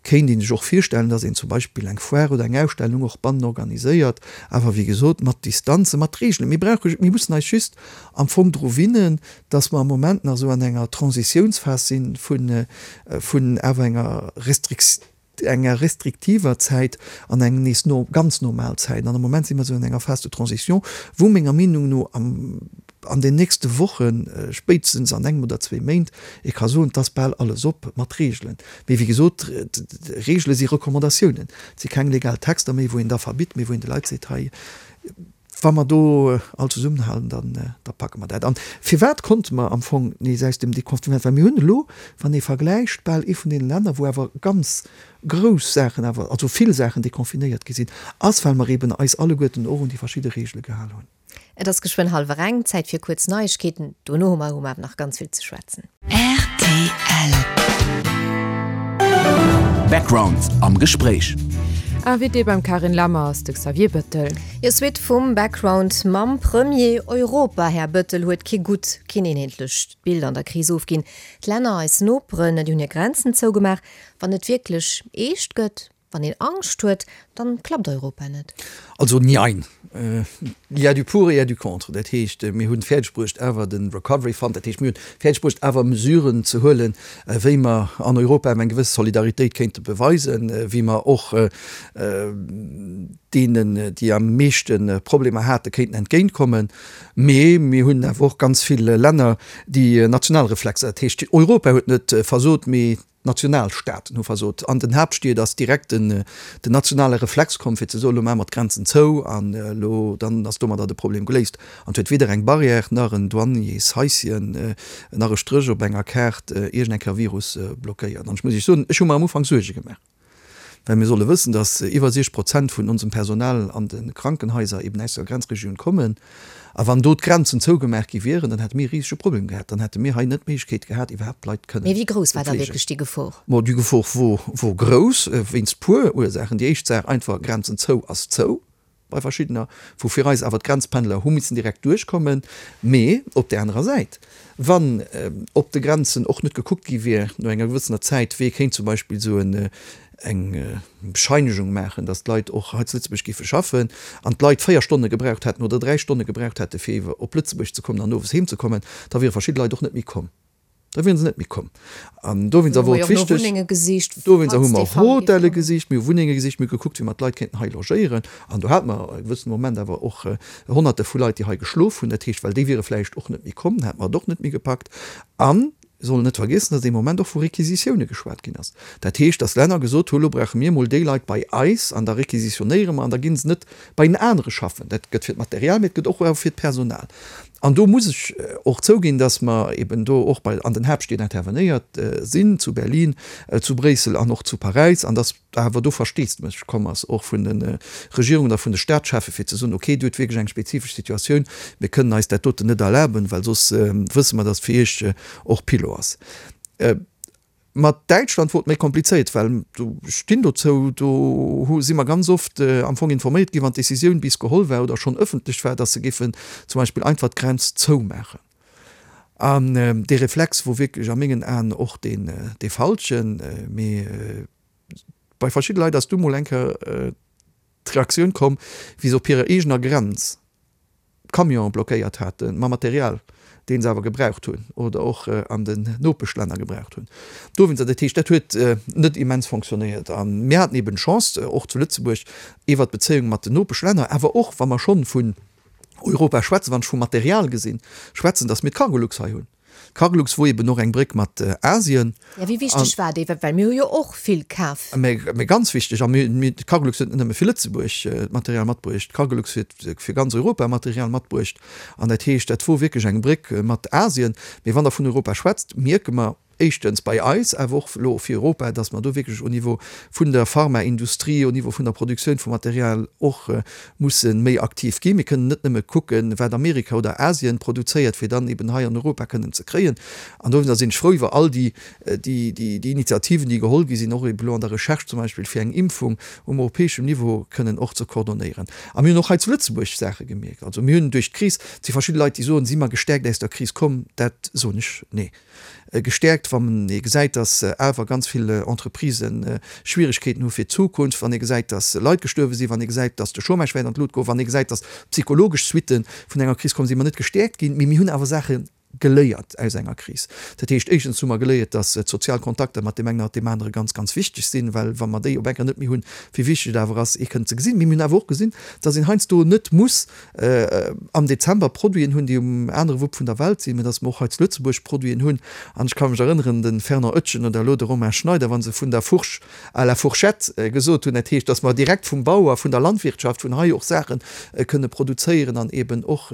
kéint ee sech och virstellen, dass een zum Beispill eng Foire oder eng Ausstellung och bannen organiséiert, awer wéi gesot mat Distanzen, mat Reegelen. Mir brauche, mir mussen eis just am Fong dru winnen, dass mer am Moment nach esou an enger Transitiounsphas si vun vun awer enger Restriktioun, enger restriktiver Zäit an eng nees no ganz normal Zäit. An am Moment si mer esou an enger Phase de transition, wou menger Meenung no am an den nächste Wochen, spéitstens an engem oder zwee Méint, ee ka soen, et ass bal alles op mat Reegelen. Mee wéi gesot, Reegele si Recommandatiounen, et si keng legal Texter méi, wou een da verbitt, mee wou een de Leit seet, hei, Wa mer do all zesummenhalen, dann da packe mer dat. An firwat konnte mer am Fong nees aus dem Deconfinement? Well mir hunn elo, wann ee vergläicht, bal ee vun deene Länner, wou awer ganz grouss Saachen awer, also vill Saachen deconfinéiert gi sinn, ass, well mer eeben eis alleguerten och un déi verschidde Reegele gehal hunn. Et ass geschwënn hallwer eng, Zäit fir kuerz Neiegkeeten. Dono hu mer hu mer awer nach ganz vill ze schwätzen. Rtl. Background am Gespréich. Invité beim Carine Lammer ass de Xavier Bettel. Jo, Suite vum Background mam Premier. Europa, Här Bettel, huet kee gutt, keen eenheetlecht Bild an der Kris ofginn. D'Länner, eis Noperen, déi hunn hir Grenzen zougemaach. Wann et wierklech eescht gëtt, Wann een Angscht huet, dann klappt Europa net. Also njein. Il y a du pour et il y a du contre. Dat heescht, mir hunn fäerdeg bruecht awer de Recovery Fund, dat heescht mir hunn fäerdeg bruecht awer Mesuren ze huelen, wéi mer an Europa eng gewëss Solidaritéit kéinte beweisen, wéi mer och deenen, déi am meeschte Problemer hate kéinten entgéintkommen. Mee mir hunn awer och ganz vill Länner, déi national Reflexer, dat heescht Europa huet net versot, mee d'Nationalstaaten hu versot. An den Haaptstied ass direkt den nationale Reflex komm, fir ze soen, elo maache mer d'Grenzen zou an elo dann ass domadder de Problem geléist. An et huet weder eng Barrière nach en Douaniershäischen nach e Stréch op enger Kaart iergend eng Kéier Virus blockéiert. An ech muss Iech soen, ech hu mer am Ufank Suerge gemaach. Well mir solle wëssen, dass iwwer siechzeg Prozent vun onsem Personal an de Krankenhaiser eben aus der Grenzregioun kommen. A wann do d'Grenzen zougemaach gi wieren, dann hätte mir e risege Problem gehat. Dann hätte mir hei net d'Méiglechkeet gehat, iwwerhaapt d'Leit kënnen Mee wéi grouss ze war da fleegen. wierklech déi Gefor? Mo déi Gefor wor, wor grouss, wéinst puer Ursaachen. Déi éischt Saach einfach, Grenzen zou ass zou bei verschiddener, wou fir eis awer d'Grenzpendler hu missen direkt duerchkommen. Mee op där anerer Säit, wann op de Grenzen och net gekuckt gi wier no enger gewëssener Zäit, wee kéint zum Beispill esou eng Bescheinegung maachen, datt d'Leit och hei zu Lëtzebuerg géife schaffen, an d'Leit véier Stonne gebraucht hätten oder dräi Stonne gebraucht hätte fir iwwer op Lëtzebuerg ze kommen an owes heem ze kommen, da wiere verschidde Leit och net méi komm. Da wieren se net méi komm. An dowéinst Hu wor mer et jo och no wichteg, Wunnenge gesicht, dowéinst hu falls mer déi och Fall géif Hotelle kommen. gesicht, mir hu Wunnenge gesicht, mir hu gekuckt, wéi mer d'Leit kéinten hei logéieren. An do hate mer e gewëssene Moment awer och Honnerte vu Leit, déi hei geschlof hunn. Dat heescht, well déi wiere vläicht och net méi komm, hätte mer et och net méi gepackt. An mir sollen net vergiessen, dass dee Moment och vu Requisitioune geschwat ginn ass. Dat heescht, dass Länner gesot hu, Lo brauche mir emol déi Leit bei eis an da requisitionéiere mer an da gi se net bei en anere schaffen. Dat gëtt fir d'Material, mee et gëtt och awer fir d'Personal. An do muss ech och zouginn, dass mer eben do och bei an den Haaptstied intervenéiert sinn, zu Berlin, zu Bréissel an och zu Paräis, an dass awer do Versteesdemech komm ass, och vun de Regierungen a vun de Staatscheffe fir ze soen, okay, Dir hutt wierklech eng spezifesch Situatioun, mir kënnen eis dat doten net erlaben, well soss wësse mer, dass et fir Iech och Pilo ass. Mat Däitschland wor et méi komplizéiert, well do, ech stinn dozou, do hu si mer ganz oft am Fong informéiert ginn, wann d'Decisioun bis geholl war oder schonn ëffentlech war, dass se géifen zum Beispill einfach d'Grenz zoumaachen. An dee Reflex wor wierklech a mengen Aen och deen dee falschen. Mee bei verschidde Leit ass du mol eng Kéier d'Reaktioun komm, wéi se op hirer eegener Grenz Camionen blockéiert haten mam Material, dee se awer gebraucht hunn oder och an den Nopeschlänner gebraucht hunn. Dowéinster, dat heescht, dat huet net immens fonctionnéiert. A mir haten eben d'Chance, och zu Lëtzebuerg, iwwert d'Bezéiung mat den Nopeschlänner, awer och, wa mer schonn vun Europa schwätzen, wann ech vu Material gesinn, schwätzen, datt mir d'Cargolux hei hunn. D'Cargolux wor eben och eng Bréck mat Asien. Ja, wéi wichteg war déi? Well mir hu jo och vill kaf. Mä, mä ganz wichteg. A mir, mir, d'Cargolux huet net nëmme fir Lëtzebuerg Material matbruecht, d'Cargolux huet fir ganz Europa Material matbruecht. An dat heescht, dat wor wierklech eng Bréck mat Asien. Mee wann Der vun Europa schwätzt, mierke mer, éischtens bei eis, awer och elo fir Europa, dass mer do wierklech au Niveau vun der Pharmaindustrie, au Niveau vun der Produktioun vum Material och musse méi aktiv ginn. Mir kënnen net nëmme kucken, wat Amerika oder Asien produzéiert, fir dann eben hei an Europa kënnen ze kréien. An dowéinster sinn ech frou iwwer all déi, déi, déi Initiativen, déi geholl gi sinn, och eben elo an der Recherche zum Beispill, fir eng Impfung um europäeschem Niveau kënnen och ze koordonéieren. A mir hunn och hei zu Lëtzebuerg Saache gemierkt. Also mir hunn duerch d'Kris, et si verschidde Leit, déi soen, si mer gestäerkt aus der Kris komm, dat soen ech, nee. Gestäerkt, wann ee gesäit, datt awer ganz vill Entreprisë Schwieregkeeten hu fir d'Zukunft, wann ee gesäit, datt Leit gestuerwe sinn, wann ee gesäit, datt de Chômage wäert an d'Lut goen, wann ee gesäit, datt psychologesch Suitte vun enger Kris kommen, si mer net gestäerkt ginn. Mee mir hunn awer Saache geléiert aus enger Kris. Dat heescht, éischtens hu mer geléiert, datt d'sozial Kontakter mat deem engen a mat deem anere ganz, ganz wichteg sinn, well wa mer déi op eng Kéier net méi hunn, wéi wichteg et awer ass, ee kënnen ze gesinn. Mee mir hunn awer och gesinn, datt een heiansdo net muss am Dezember Produiten hunn, déi um anere Wupp vun der Welt sinn, mä datt mer och hei zu Lëtzebuerg Produiten hunn. An ech ka mech erënneren, de Fernand Oetjen oder elo de Romain Schneider, wa se vun der Fourche à la fourchette gesot hunn, dat heescht, datt mer direkt vum Bauer, vun der Landwirtschaft, vun hei och Saache kënne produzéieren an eeben och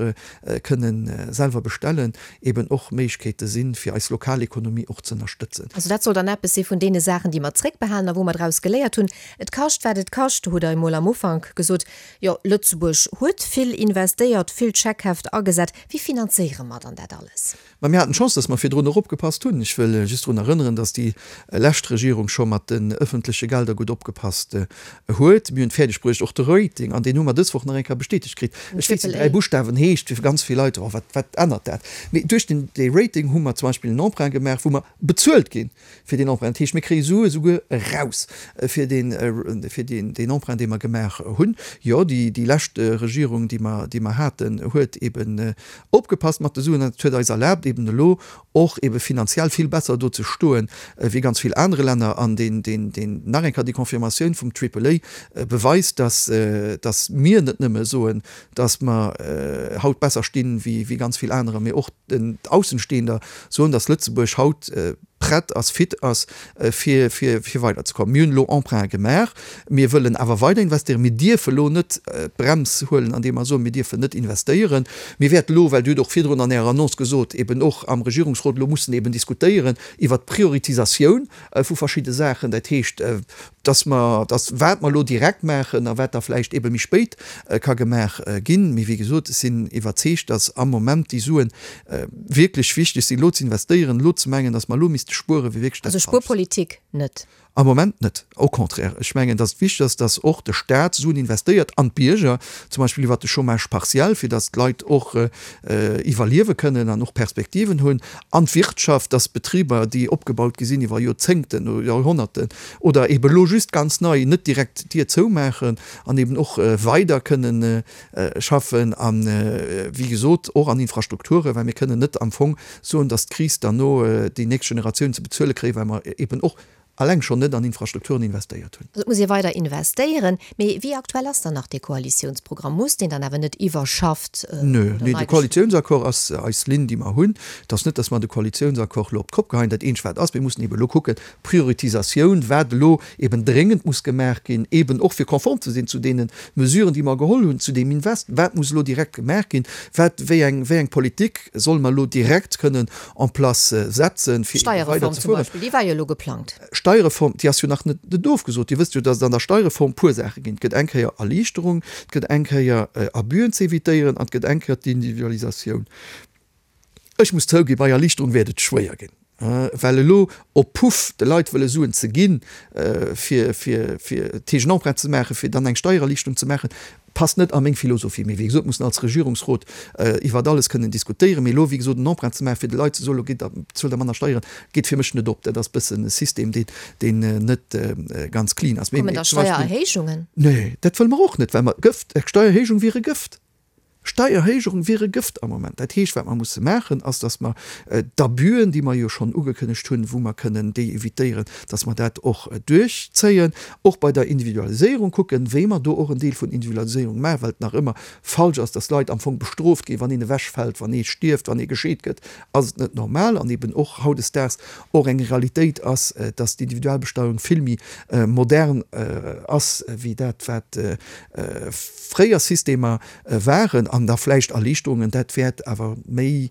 kënne selwer bestellen, eeben och Méiglechkeete sinn, fir eis lokal Ekonomie och ze ënnerstëtzen. Also dat soll dann eppes si vun deene Saachen, déi mer zréckbehalen a wou mer draus geléiert hunn. Et kascht, wat et kascht, hutt Der emol am Ufank gesot. Jo, Lëtzebuerg huet vill investéiert, vill Scheckheft agesat. Wéi finanzéiere mer dann dat alles? Mä mir haten d'Chance, dass mer virdrun och opgepasst hunn. Ech wëll just drun erënneren, dass déi lescht Regierung scho mat den öffentleche Gelder gutt opgepasst huet. Mir hunn et fäerdeg bruecht, och de Rating, an deen hu mer dës Woch nach eng Kéier bestätegt kritt. Ech weess, déi dräi Buschtawen heescht fir ganz vill Leit, oh, wat, wat ännert dat? Mee duerch duerch den dee Rating hu mer zum Beispill en Emprunt gemaach, wou mer bezuelt gi fir deen Emprunt. Dat heescht, mir kréie Sue souguer eraus fir deen, fir deen, deen Emprunt, dee mer gemaach hunn. Jo, déi, déi lescht Regierung, déi mer, déi mer haten, huet eben opgepasst mat de Suen an dat huet eis erlaabt, eben elo och ebe finanziell vill besser do ze stoen wéi ganz vill anere Länner. An deen, deen, deen, nach eng Kéier déi Confirmatioun vum Triple A beweist, dass, dass mir net nëmme soen, dass mer haut besser stinn wéi, wéi ganz vill anerer, mee och den Aussenstehender soen, dass Lëtzebuerg haut prett ass, fit ass, fir, fir, fir weiderzekommen. Mir hunn elo Emprunte gemaach, mir wëllen awer weider investéieren. Mir dierfe elo net d'Brems huelen, andeem mer soen, mir dierfen net investéieren. Mir wäerten elo, well Dir hutt och virdrun an Ärer Annonce gesot, eben och am Regierungsrot elo mussen eben diskutéieren iwwert d'Prioritisatioun vu verschidde Saachen. Dat heescht, dass mer, dass wat mer elo direkt maachen a wat da vläicht ebe méi spéit ka gemaach ginn. Mee wéi gesot, ech sinn iwwerzeegt, dass am Moment déi Suen wierklech wichteg sinn, elo ze investéieren. Elo ze mengen, dass mer elo misste spueren, wier wierklech dat Also Falscht. Spuerpolitik net? Am Moment net, au contraire. Ech mengen, dass et wichteg ass, dass och de Staat Suen investéiert an d'Bierger, zum Beispill iwwert de Chômage partiel, fir dass d'Leit och iwwerliewe kënnen an och Perspektiven hunn, an d'Wirtschaft, dass Betriber, déi opgebaut gi sinn iwwer Joerzéngten oder Joerhonnerten oder eeben elo just ganz nei, net direkt d'Dier zoumaachen an eeben och weider kënnen schaffen an, wéi gesot, och an Infrastrukturen, well mir kënnen net am Fong soen, dass d'Kris derno déi nächst Generatioun ze bezuele kréien, well mer eeben och alleng schonn net an Infrastrukturen investéiert hunn. Also et muss ee weider investéieren. Mee wéi aktuell ass dann nach dee Koalitiounsprogramm? Muss deen dann awer net iwwerschafft oder Nö, nee, nei de geschriwwen? Koalitiounsaccord ass eis Linn, déi mer hunn. Et ass net, datt mer de Koalitiounsaccord elo op d'Kopp geheien. Dat eenzegt, wat ass, mir mussen eeben elo kucken, Prioritisatioun, wat elo eeben dréngend muss gemaach ginn, eeben och fir konform ze sinn zu deene Mesuren, déi mer geholl hunn, zu deem Invest, wat muss elo direkt gemaach ginn, wat, wéi eng, wéi eng Politik solle mer elo direkt kënnen en place setzen, fir eebe D'Steierreform zum weiderzefueren. Beispill, déi war jo elo geplangt. Steierreform, déi ass jo nach net net ofgesot. Dir wësst jo, dass et an der Steierreform puer Saache ginn. Et gëtt eng Kéier Erliichterung, et gëtt eng Kéier Abüen ze évitéieren an et gëtt eng Kéier d'Individualisatioun. Ech muss zouginn, bei Erliichterung wäert et schwéier ginn, well elo op Puff de Leit wëlle Suen ze ginn, fir fir fir d'Heegen Emprunt ze maachen, fir dann eng Steiererliichterung ze maachen, passt net a meng Philosophie. Mee wéi gesot, mussen als Regierungsrot iwwert alles kënnen diskutéieren. Mee elo, wéi gesot, en Emprunt ze maachen, fir de Leit ze soen, elo gitt der, bezuelt der manner Steieren, geet fir mech net op. Dat ass e bëssen e System, deen, deen net ganz clean ass. Kommen da Steiererhéijungen? Nee, dat wëlle mer och net, well mer Gëft, Steiererhéijung wier e Gëft. Steierhéijung wier e Gëft am Moment. Dat heescht, wat mer musse maachen, ass, datt mer d'Abüen, déi mer jo schonn ugekënnegt hunn, wou mer kënnen déi évitéieren, datt mer dat och duerchzéien. Och bei der Individualiséierung kucken, wéi mer do och en Deel vun Individualiséierung maachen, well et nach ëmmer falsch ass, datt Leit am Fong bestrooft ginn, wann een ewechfält, wann ee stierft, wann ee gescheet gëtt, ass et net normal. An eben och hautdesdaags och eng Realitéit ass, datt d'Individualbesteuerung vill méi modern ass wéi dat, wat fréier Systemer waren. An da vläicht Erliichterungen, dat wäert awer méi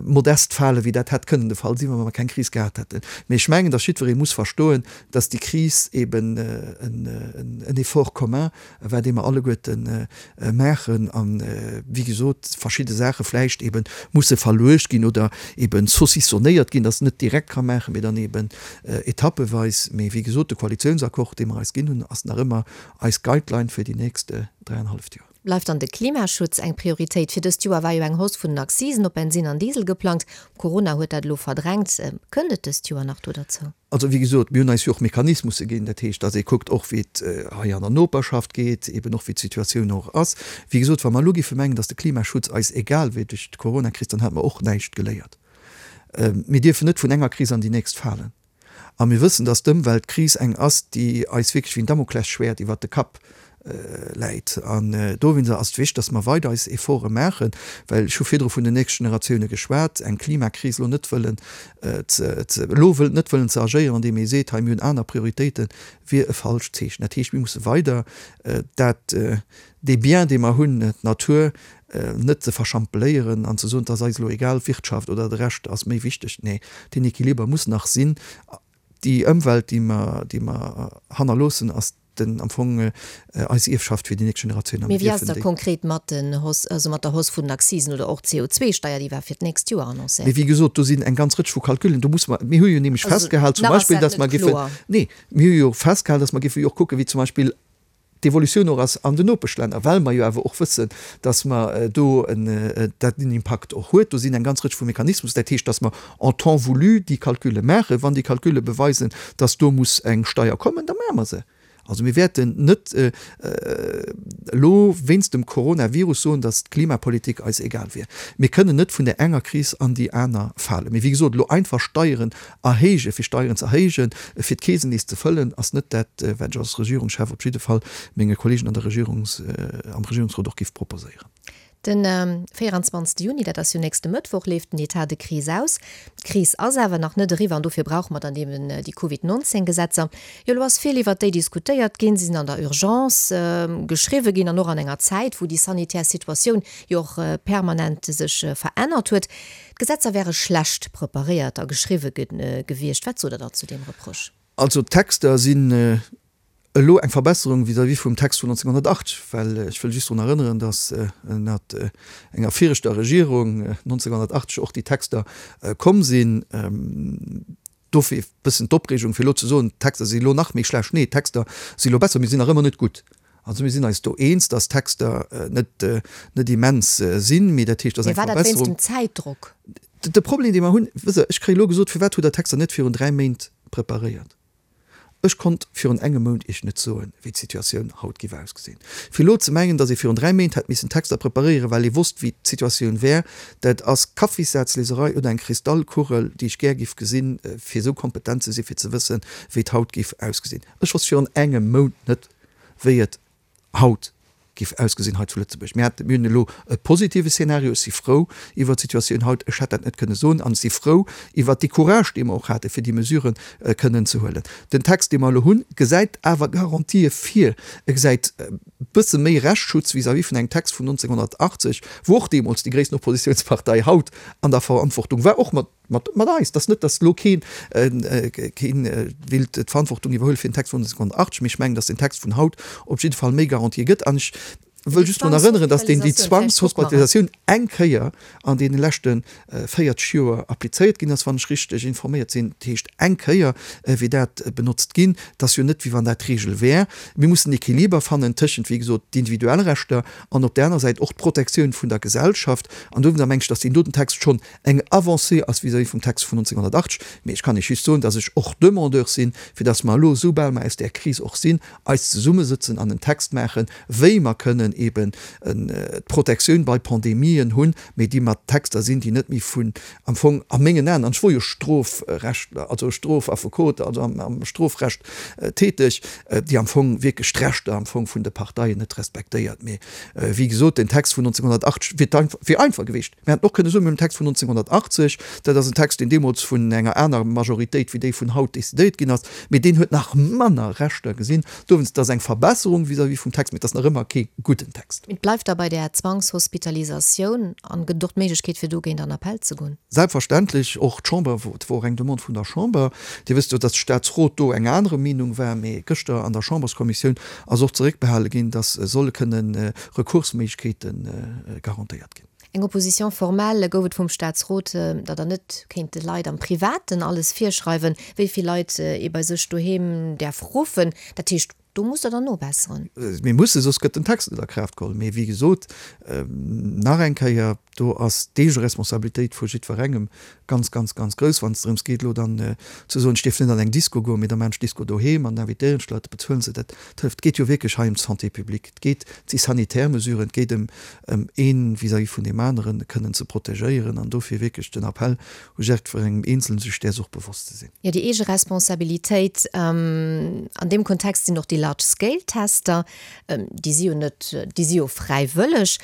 modest fale wéi dat hätt kënnen de Fall sinn, wa mer keng Kris gehat hätten. Mee ech mengen, datt jiddweree muss verstoen, datt déi Kris eben en Effort commun war, dee mer alleguerte maachen an, wéi gesot, verschidde Saache vläicht ebe musse verluecht ginn oder ebe saucissonnéiert ginn, datt net direkt ka maachen, mee dann eben etappeweis. Mee wéi gesot, de Koalitiounsaccord, dee mer eis ginn hunn, ass nach ëmmer eis Guideline fir déi nächst dräianenhalleft Joer. Bleift dann de Klimaschutz eng Prioritéit? Fir dëst Joer war jo eng Hausse vun den Accisen op Bensinn an Diesel geplangt. Corona huet dat elo verdrängt. Kënnt et dëst Joer nach do derzou? Also, wéi gesot, mir hunn eis jo och Mechanismusse ginn. Dat heescht, datt ee kuckt och, wéi et hei an der Noperschaft geet, eben och wéi d'Situatioun och ass. Wéi gesot, wa mer elo géife mengen, datt de Klimaschutz eis egal wier duerch d'Coronakris, dann hätte mer och näischt geléiert. Mir dierfen net vun enger Kris an déi nächst falen. A mir wëssen, datt d'Ëmweltkris eng ass, déi eis wierklech wéi en Damoklesschwäert iwwert de Kapp läit. An dowéinster ass et wichteg, datt mer weider eis Efforte maachen, well ech hu virdru vun den nächste Generatioune geschwat, eng Klimakris elo net wëllen ze, elo wëll, net wëllen ze agéieren, andeem ee seet, hei mir hunn aner Prioritéiten, wier e falscht Zeechen. Dat heescht, mir musse weider dat, dee Bien, dee mer hunn, d'Natur, net ze verschampeléieren an ze soen, et ass eis elo egal, d'Wirtschaft oder de Rescht ass méi wichteg. Nee, deen Equiliber muss nach sinn. Déi Ëmwelt, déi mer, déi mer hannerloossen, ass den, am Fong eis Ierfschaft fir déi nächst Generatioun a Mee mir wéi ass dierfen et da déi. konkret mat den Hausse, also mat der Hausse vun den Accisen oder och d'C O zwee Steier, déi war fir d'nächst Joer Mee annoncéiert? wéi gesot, do sinn eng ganz Rëtsch vu Calculen, do muss mer, mir hu jo nämlech Also festgehal zum nach ass Beispill, dat dass mer net giffen, kloer. nee, mir hu jo festgehal, dass mer giffe jo och kucken, wéi zum Beispill d'Evolutioun och ass an den Nopeschlänner, well mer jo awer och wëssen, dass mer do en, dat en Impakt och huet. Do sinn eng ganz Rëtsch vu Mechanismus. Dat heescht, dass mer en temps voulu déi Calculle maachen. Wann déi Calculle beweisen, dass do muss eng Steier kommen, da maache mer se. Also mir wäerten net elo wéinst dem Coronavirus soen, datt d'Klimapolitik eis egal wier. Mir kënnen net vun där enger Kris an déi aner falen. Mee wéi gesot, elo einfach Steieren erhéijen, fir Steieren ze erhéijen, fir d'Keesen nees ze fëllen, ass net dat, wat ech als Regierungschef op jidde Fall menge Kolleegen an der Regierungs, am Regierungsrot och géif proposéieren. Den véieranzwanzegste Juni, dat ass jo nächste Mëttwoch, leeft den Etat de crise aus. D'Kris ass awer nach net eriwwer an dofir brauche mer dann eben déi Covid neunzehn Gesetzer. Jo, elo ass vill iwwert déi diskutéiert ginn. Si sinn an der Urgence geschriwwe ginn an och an enger Zäit, wou déi sanitär Situatioun jo och permanent sech verännert huet. D'Gesetzer wäre schlecht preparéiert a geschriwwe gewiescht. Wat sot Der da zu deem Reproche? Also d'Texter sinn elo eng Verbesserung vis-à-vis vum Text vun neunzehnhundertachtzeg, well ech wëll just drun erënneren, datt ënnert enger viregter Regierung neunzehnhundertachtzeg och déi Texter komm sinn. Dofir e bëssen d'Opreegung, fir elo ze soen, d'Texter si elo nach méi schlecht. Nee, d'Texter si elo besser, mee si sinn nach ëmmer net gutt. Also mir sinn eis do eens, datt d'Texter net, net immens sinn, mee dat heescht, et ass eng Mee war dat wéinst Verbesserung. dem Zäitdrock? De Problem, dee mer hunn, wësst Der, ech kréie elo gesot, firwat hutt Der d'Texter net virun dräi Méint preparéiert? Ech konnt virun engem Mount Iech net soen, wéi d'Situatioun haut géif ausgesinn. Fir elo ze mengen, datt ee virun dräi Méint hätt missen Texter preparéieren, well ee wosst, wéi d'Situatioun wär, dat ass Kaffissazleserei oder eng Kristallkugel, déi ech gär géif gesinn, fir esou kompetent ze sinn, fir ze wëssen, wéi et haut géif ausgesinn. Ech wosst virun engem Mount net, wéi et haut géif ausgesinn hei zu Lëtzebuerg. Mir haten, mir hunn elo e positive Szenario. Ech si frou iwwert d'Situatioun haut. Ech hätt dat net kënne soen. An ech si frou iwwert dee Courage, dee mer och haten, fir déi Mesuren kënnen ze huelen. Den Text, dee mer elo hunn, gesäit awer Garantië vir. E gesäit e bësse méi Rechtsschutz vis-à-vis vun engem Text vun neunzehnhundertachtzeg, wou och deemools déi gréissten Oppositionspartei haut an der Verantwortung war, och mat, mat, mat eis. Et ass net, datt elo keen, keen willt d'Verantwortung iwwerhuele fir den Text vun neunzehnhundertachtzeg, mee ech mengen, datt den Text vun haut op jidde Fall méi Garantië gëtt. An ech wëll just drun erënneren, datt deen déi Zwangshospitalisatioun eng Kéier an deene leschte véierzeg Joer applizéiert ginn ass, wann ech richteg informéiert sinn. Dat heescht, eng Kéier wier dat benotzt ginn. Et ass jo net, wéi wann dat d'Regel wär. Mir mussen en Equiliber fannen tëschent, wéi gesot, d'individuell Rechter an op där aner Säit och d'Protektioun vun der Gesellschaft. An dowéinster meng ech, datt deen doten Text schonn eng Avancée ass vis-à-vis vum Text vun neunzehnhundertachtzeg. Mee ech kann Iech just soen, datt ech och Demandeur sinn, fir datt mer elo, soubal mer aus där Kris och sinn, eis zesummesëtzen an en Text maachen, wéi mer kënnen eben d'Protektioun bei Pandemien hunn, mee déi mat Texter sinn, déi net méi vun, am Fong a mengen Aen, an ech wor jo Strofrechtler, also Strofaffekot, also am Strofrecht täteg, déi am Fong wierklech d'Rechter am Fong vun de Parteien net respektéiert. Mee wéi gesot, den Text vun neunzehnhundertachtzeg wier wier einfach gewiescht. Mir hätten och kënne soen, mir hunn den Text vun neunzehnhundertachtzeg, dat ass en Text, deen deemools vun enger aner Majoritéit wéi déi vun haut decidéiert ginn ass, mee deen huet nach manner Rechter gesinn. Dowéinst, dat ass eng Verbesserung vis-à-vis vum Text, mee et ass nach ëmmer kee gudden Text. Et bleift da bei där Zwangshospitalisatioun an gëtt et och d'Méiglechkeet, fir dogéint an Appell ze goen? Selbstverständlech, och d'Chamber, et wor och eng Demande vun der Chamber. Dir wësst jo, dass de Statsrot do eng anere Meenung war, mee gëschter an der Chamberskommissioun ass och zeréckbehale ginn, dass solle kënnen Rekursméiglechkeete garantéiert ginn. Eng Opposition formelle gouf et vum Statsrot, datt Der net kéint de Leit am Privaten alles virschreiwen, wéi vill Leit ee bei sech doheem däerf ruffen. Dat heescht, do musst Der dann nobesseren. Mir mussen, soss gëtt den Text net a Kraaft geholl. Mee wéi gesot, nach eng Kéier, do ass d'Eegeresponsabilitéit vu jiddwerengem ganz, ganz, ganz grouss, wann et drëms geet, elo dann ze soen, ech dierf net an eng Disco goen, mee da maachen ech d'Disco doheem an da invitéieren ech d'Leit, da bezuelen se dat. Et hëlleft. Et geet jo wierklech hei ëm d'Santé publique, et geet, et si sanitär Mesuren, et geet ëm, ëm ee vis-à-vis vun deem aneren kënnen ze protegéieren an dofir wierklech den Appell u jiddwerengem Eenzelen, sech däers och bewosst ze sinn. Jo, déi eege Responsabilitéit. An deem Kontext sinn och déi Large-Scale-Tester, déi si jo net, déi si jo fräiwëlleg,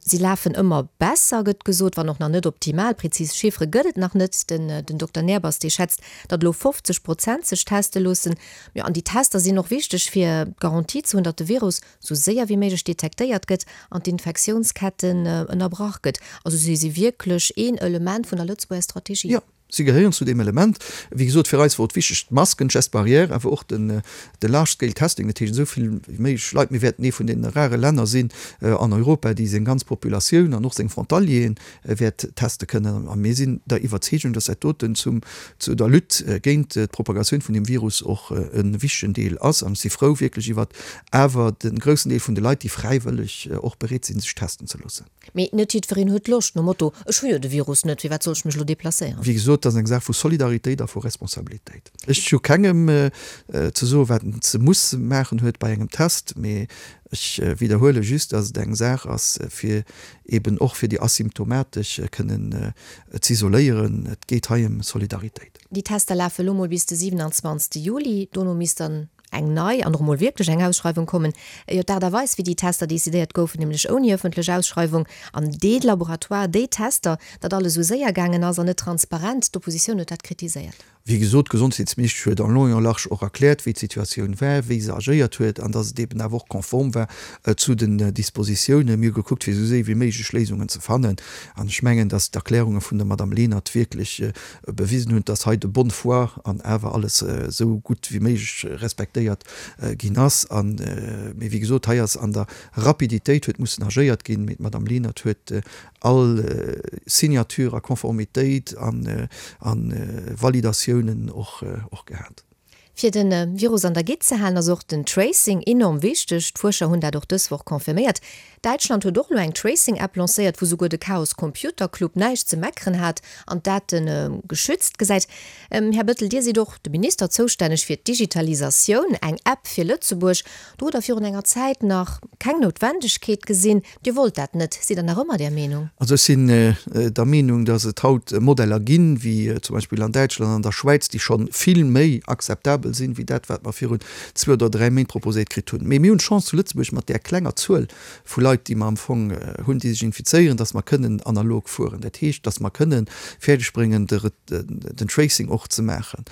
si lafen ëmmer besser, gëtt gesot, wann och nach net optimal. Prezis Chiffere gëtt et nach net. Den den Dokter Nehrbass, dee schätzt, datt elo fofzeg Prozent sech teste loossen. Jo, an déi Tester sinn och wichteg, fir d'Garantie ze hunn, datt de Virus sou séier wéi méiglech detektéiert gëtt an d'Infektiounsketten ënnerbrach gëtt. Also si si wierklech een Element vun der Lëtzebuerger Strategie. Jo, Si gehéieren zu deem Element. Wéi gesot, fir eis wor et wichteg, d'Masken, d'Gestes barrières, awer och den, de Large Scale Testing, dat heescht esou vill wéi méiglech Leit. Mir wäerten ee vun deene rare Länner sinn an Europa, déi seng ganz Populatioun an och seng Frontalieren wäert teste kënnen. A mir sinn der Iwwerzeegung, dass dat doten zum, zu der Lutte géint d'Propagatioun vun deem Virus och e wichtegen Deel ass. An ech si frou wierklech iwwert awer de groussen Deel vun de Leit, déi fräiwëlleg och bereet sinn, sech testen ze loossen. Mee net jiddwereen huet Loscht, nom Motto, Ech hu jo de Virus net, firwat soll ech mech elo deplacéieren? Wéi gesot, dat ass eng Saach vu Solidaritéit a vu Responsabilitéit. Ech hu kengem ze soen, wat en ze muss maachen huet bei engem Test, mee ech widderhuele just, dass et eng Saach ass, fir eeben och fir déi Asymptomatesch kënnen z'isoléieren. Et geet hei ëm Solidaritéit. Déi Tester lafe elo mol bis de siwenanzwanzegste Juli. Dono misst dann eng nei an och emol wierklech eng Ausschreiwung kommen. Jo, d'Aart a Weis, wéi déi Tester decidéiert goufen, nämlech ouni ëffentlech Ausschreiwung an dee Laboratoire, déi Tester, datt alles esou séier gaangen ass an net transparent, d'Oppositioun huet dat kritiséiert. Wéi gesot, d'Gesondheetsministesch huet en long et en large och erkläert, wéi d'Situatioun war, wéi se agéiert huet an datt et eben awer och konform war zu den Dispositiounen. Mir hu gekuckt, fir esou séier wéi méiglech Léisungen ze fannen. An ech mengen, datt d'Erklärunge vun der Madame Lenert wierklech bewisen hunn, datt hei de bonne foi an awer alles esou gutt wéi méiglech respektéiert ginn ass. An, mee wéi gesot, hei ass an der Rapiditéit huet mussen agéiert ginn, mee d'Madame Lenert huet all Signature a Konformitéit an Validatiounen och gehat. Fir de Virus an der Gitt ze halen, ass och den Tracing enorm wichteg. D'Fuerscher hunn dat och dës Woch confirméiert. Däitschland huet och elo eng Tracing-App lancéiert, wou souguer de Chaos Computer Club näischt ze meckeren hat an d'Date geschützt gesäit. Här Bettel, Dir sidd och de Minister zoustänneg fir d'Digitalisatioun. Eng App fir Lëtzebuerg, do hutt Der virun enger Zäit nach keng Noutwendegkeet gesinn. Dir wollt dat net. Sidd Der nach ëmmer där Meenung? Also ech sinn der Meenung, datt et haut Modeller ginn, wéi zum Beispill an Däitschland an an der Schwäiz, déi scho vill méi akzeptabel sinn, wéi dat, wat mer virun zwee oder dräi Méint proposéiert kritt hunn. Mee mir hunn d'Chance zu Lëtzebuerg mat där klenger Zuel vu Leit, déi mer am Fong hunn, déi sech infizéieren, datt mer kënnen analog fueren. Dat heescht, datt mer kënnen fäerdegbréngen, den Tracing och ze maachen.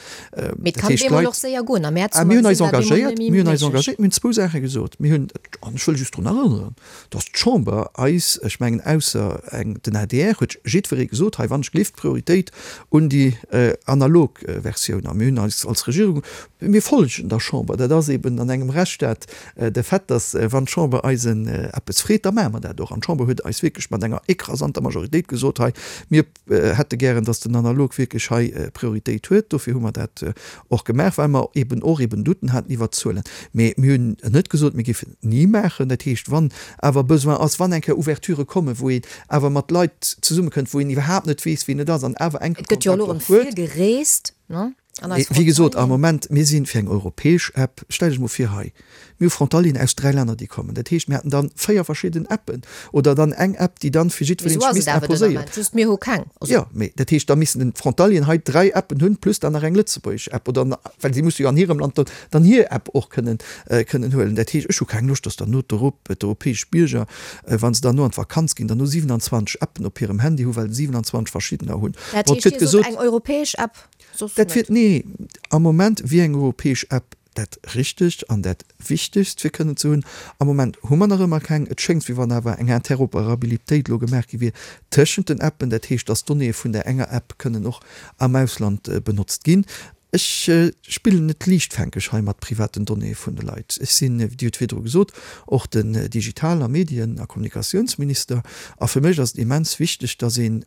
Mee et kann op eemol och séier goen. Am Mäerz hu mer mir hunn eis gesinn, war et eemol engagéiert, net méi mir hunn eis méiglech. engagéiert, mir hunn zwou Saache gesot. Mir hunn, an ech wëll just drun erënneren, datt d'Chamber eis, ech mengen ausser eng, den adr, huet jiddweree gesot, hei wann ech gleeft, Prioritéit un déi analog Versioun. A mir hunn eis als Regierung, mir folgen der Chamber, dat ass eben an engem Rechtsstaat de Fait, datt wann d'Chamber eis eppes freet, da maache mer dat och. An d'Chamber huet eis wierklech mat enger écrasanter Majoritéit gesot, hei mir hätte gären, datt den Analog wierklech hei Prioritéit huet. Dofir hu mer dat och gemaach, well mer eben och eben Douten haten iwwert d'Zuelen. Mee mir hunn net gesot, mir géifen et ni maachen. Dat heescht, wann awer Besoin ass, wann eng Kéier Ouverturë kommen, wou een awer mat Leit zesummekënnt, wou een iwwerhaapt net weess, wien et ass, an awer enke Et gëtt jo elo Kontakt erëm och huet. vill gereest, ne? An eis Wéi gesot, am Frontalieren. Moment, mir si fir eng europäesch App. Stellt Iech emol vir hei, mir hu Frontalieren aus dräi Länner, déi kommen. Dat heescht, mir hätten dann véier verschidden Appen oder dann eng App, déi dann fir Mee jiddwereen esou sech ass et misst awer den imposéieren. Ament, just mir hu keng. Also. Jo, mee dat heescht, da missten den d'Frontalieren hei dräi Appen hunn, plus dann nach eng lëtzebuergesch App oder, well si musse jo an hirem Land dann dann hir App och kënnen kënnen huelen. Dat heescht, ech hu keng Loscht, dass dann no d'Europ d'europäesch Bierger, wa se dann no an d'Vakanz ginn, dann no siewenundzwanzeg Appen op hirem Handy hu well se siewenundzwanzeg verschiddener hunn. Dat Bon, et heescht, gëtt Dir sot gesot, eng europäesch App, soss dat net? wier, nee, am Moment wier eng europäesch App dat Richtegt an dat Wichtegst fir kënnen ze hunn. Am Moment hu mer nach ëmmer keng. Et schéngt, wéi wann awer eng Interoperabilitéit elo gemaach gi wier tëschent den Appen, dat heescht, dass d'Donnéeë vun där enger App kënnen och am Ausland benotzt ginn. Ech spillen net liichtfänkeg hei mat privaten Donnéeë vun de Leit. Ech sinn, wéi Dir hutt virdru gesot, och den Digital a Medien a Kommunikatiounsminister. A fir mech ass et immens wichteg, dass een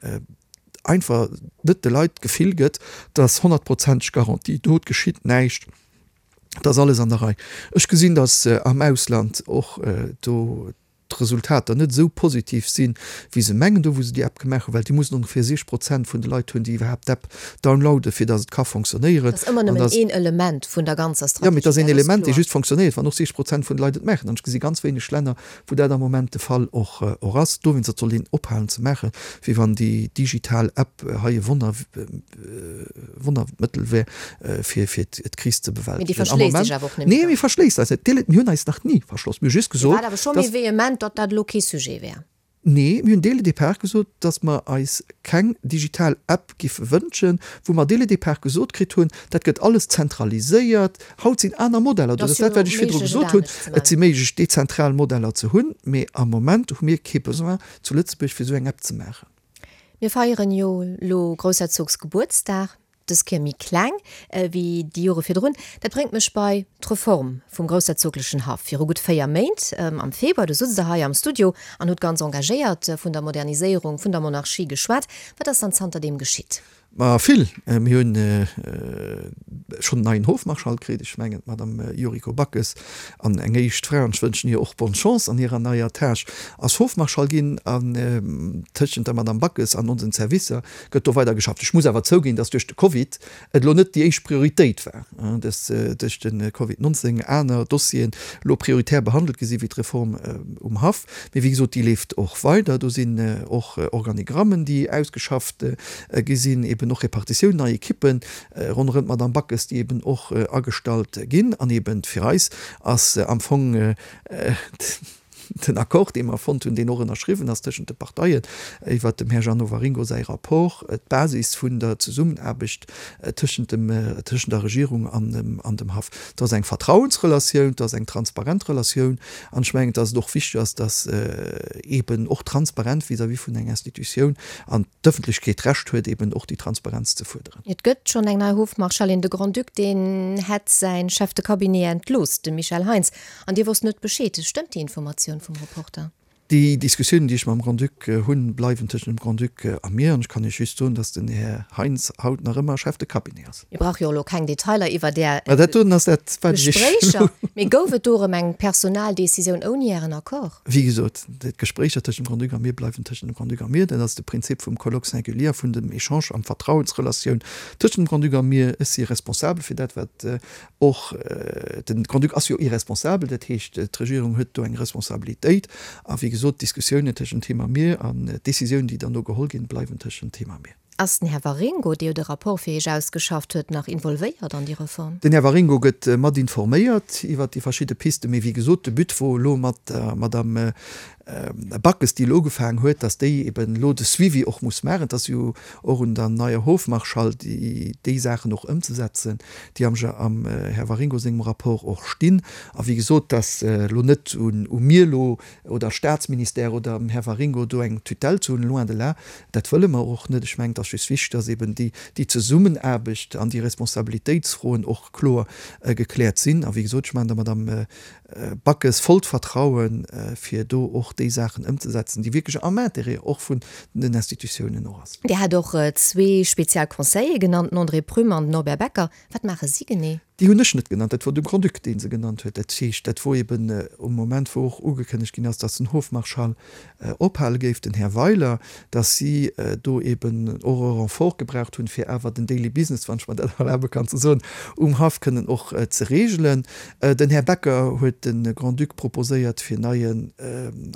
einfach net de Leit d'Gefill gëtt, dass honnertprozenteg Garantie do, et geschitt näischt, et ass alles an der Rei. Ech gesinn, dass am Ausland och do d'Resultater net esou positiv sinn, wéi se mengen, do wou se déi App gemaach hunn, well déi mussen ongeféier siechzeg Prozent vun de Leit hunn, déi iwwerhaapt d'App downloaden, fir datt et ka fonctionnéieren. Dat ass ëmmer An nëmmen datt. een Element vun der ganzer Jo, mee et ass Strategie, een dat ass Element, dee kloer. just fonctionnéiert, wann och siechzeg Prozent vun de Leit et maachen. An ech gesi ganz wéineg Länner, wou dat am Moment de Fall och och ass. Dowéinst, dat soll een ophalen ze maachen, wéi wann déi digital App hei e Wonner, Wonnermëttel wär, fir fir d'Kris ze Mee déi bewältegen. Am verschléisst Moment, sech awer och net méi nee, mir ganz. verschléisst eis net. Mir hunn eis nach ni verschloss. Mir hu just Dir gesot, waart awer scho méi dass. vehement, datt dat elo kee Sujet wär. Nee, mir hunn dès le départ gesot, dass mer eis keng digital App giffe wënschen, wou mer dès le départ gesot kritt hunn, dat gëtt alles zentraliséiert. Haut sinn aner Modeller do. Et Dat ass ass jo dat, wat ech virdru méiglech, et gesot hunn. anescht ze Et si maachen. méiglech, dezentral Modeller ze hunn, mee am Moment hu mir kee Besoin zu Lëtzebuerg, fir esou eng App ze maachen. Mir feieren jo lo Groussherzogsgebuertsdag, dës Kéier méi kleng wéi déi Jore virdrun. Dat bréngt mech bei d'Reform vum groussherzoglechen Haff. Viru gutt véier Méint, am Februar, du sutz Der hei am Studio an hutt ganz engagéiert vun der Moderniséierung vun der Monarchie geschwat. Wat ass dann zanterdeem geschitt? Ma vill. Mir hunn schonn en neien Hofmarschall kritt, ech mengen d'Madame Yuriko Backes, an eng éischt Fra, an ech wënschen hir och bonne chance an hirer neier Tâche, ass Hofmarschall ginn. An tëschent der Madame Backes an onsen Servicer gëtt do weider geschafft. Ech muss awer zouginn, dass duerch de Covid et elo net déi éischt Prioritéit war, dass duerch de Covid nonzéng aner Dossieren elo prioritär behandelt gi si wéi d'Reform um Haff. Mee wéi gesot, déi leeft och weider. Do sinn och Organigrammen, déi ausgeschafft gi sinn, eben och Repartitioun, nei Ekippen ronderëm d'Madame Backes, déi eben och agestallt ginn. An eben fir eis ass am Fong den Accord, dee mer fonnt hunn, deen och ënnerschriwwen ass tëschent de Parteien, iwwert dem Här Jeannot Waringo säi Rapport, d'Basis vun der Zesummenaarbecht tëschent dem, tëschent der Regierung an dem, an dem Haff. Et ass eng Vertrauensrelatioun, et ass eng transparent Relatioun an ech mengen, dass et och wichteg ass, dass eben och transparent vis-à-vis vun enger Institutioun an d'Ëffentlechkeet d'Recht huet, eben och déi Transparenz ze fuerderen. Et gëtt schonn eng nei Hofmarschallin, de Grand-Duc, deen hätt säin Chef de Cabinet entlooss, de Michel Heintz, an Dir wosst net Bescheed. Stëmmt déi Informatioun vum Reporter? Déi Diskussiounen, déi ech mam Grand-Duc hunn, bleiwen tëschent dem Grand-Duc a mir. An ech kann Iech just soen, dass den Här Heintz haut nach ëmmer Chef de Cabinet ass. Mir brauche jo elo keng Detailer iwwer Är Mä dat doten ass dat, wat ech Iech Gespréicher. Mee gouf et do erëm eng Personaldecisioun ouni Ären Accord? Wéi gesot, d'Gespréicher tëschent dem Grand-Duc a mir bleiwen tëschent dem Grand-Duc a mir. Dat ass de Prinzip vum Colloque singulier, vun dem Echange an Vertrauensrelatioun tëschent dem Grand-Duc a mir. Ech si responsabel fir dat, wat och, den Grand-Duc ass jo irresponsabel, dat heescht, d'Regierung huet do eng Responsabilitéit. A wéi gesot, d'Diskussiounen tëschent him a mir an d'Décisiounen, déi dann do geholl ginn, bleiwen tëschent him a mir. Ass den Här Waringo, dee jo de Rapport fir Iech ausgeschafft huet, nach involvéiert an déi Reform? Den Här Waringo gëtt mat informéiert iwwert déi verschidde Pisten. Mee wéi gesot, de But wor elo mat der Madame Backes, déi elo ugefaangen huet, dass déi eben elo de Suivi och muss maachen. Et ass jo och un der neier Hofmarschall, déi déi Saachen och ëmzesetzen, déi am am Här Waringo sengem Rapport och stinn. A wéi gesot, dass elo net un u mir elo oder Statsministère oder dem Här Waringo do eng Tutelle ze hunn, loin de là, dat wëlle mer och net. Ech mengen, et ass just wichteg, dass eben déi déi Zesummenaarbecht an déi Responsabilitéitsfroen och kloer gekläert sinn. A wéi gesot, ech maachen der Madame Backes vollt Vertrauen, fir do och déi Saachen ëmzesetzen, déi wierklech am Intérêt och vun den Institutiounen och ass. Dir hat och zwee spezial Conseiller genannt, den André Prüm an den Norbert Becker. Wat maache si genee? Déi hunn ech net genannt, dat wor de Grand-Duc, dee se genannt huet. Dat heescht, dat wor eben um Moment, wou och ugekënnegt ginn ass, datt den Hofmarschall ophale géif, den Här Weiler, datt si do eben och e Renfort gebraucht hunn, fir awer den Daily Business, wann ech mer dat erlabe kann ze soen, um Haff kënnen och ze regelen. Den Här Becker huet de Grand-Duc proposéiert, fir neien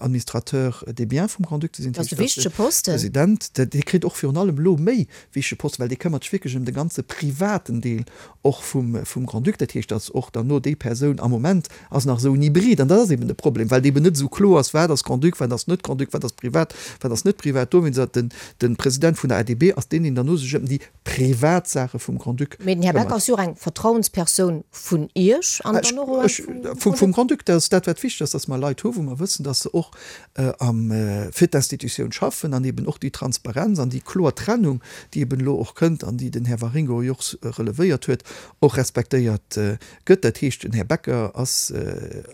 Administrateur des biens vum Grand-Duc ze sinn, Dat ass e wichtege Posten. President. Dee kritt och virun allem elo méi wichtege Posten, well dee këmmert sech wierklech ëm de ganze privaten Deel och vum, vum Grand-Duc. Dat heescht, datt och dann no déi Persoun am Moment ass nach esou en Hybrid, an dat ass eben de Problem, well et eben net esou kloer ass, wat ass Grand-Duc, wat ass net Grand-Duc, wat ass privat, wat ass net privat. Dowéinst ass den, de President vun der A D B ass deen, deen dann no sech ëm déi privat Saache vum Grand-Duc Mee den Här Becker këmmert. ass jo och eng Vertrauenspersoun vun Iech an dann och eng Ech, vum vum, vum Grand-Duc. Grand-Duc. Dat ass dat, wat wichteg ass, datt mer Leit hu wou mer wëssen, datt se och am, fir d'Institutioun schaffen an eben och déi Transparenz an déi kloer Trennung, déi eben elo och kënnt an déi den Här Waringo jo och relevéiert huet, och respektéiert gëtt. Dat heescht, den Här Becker ass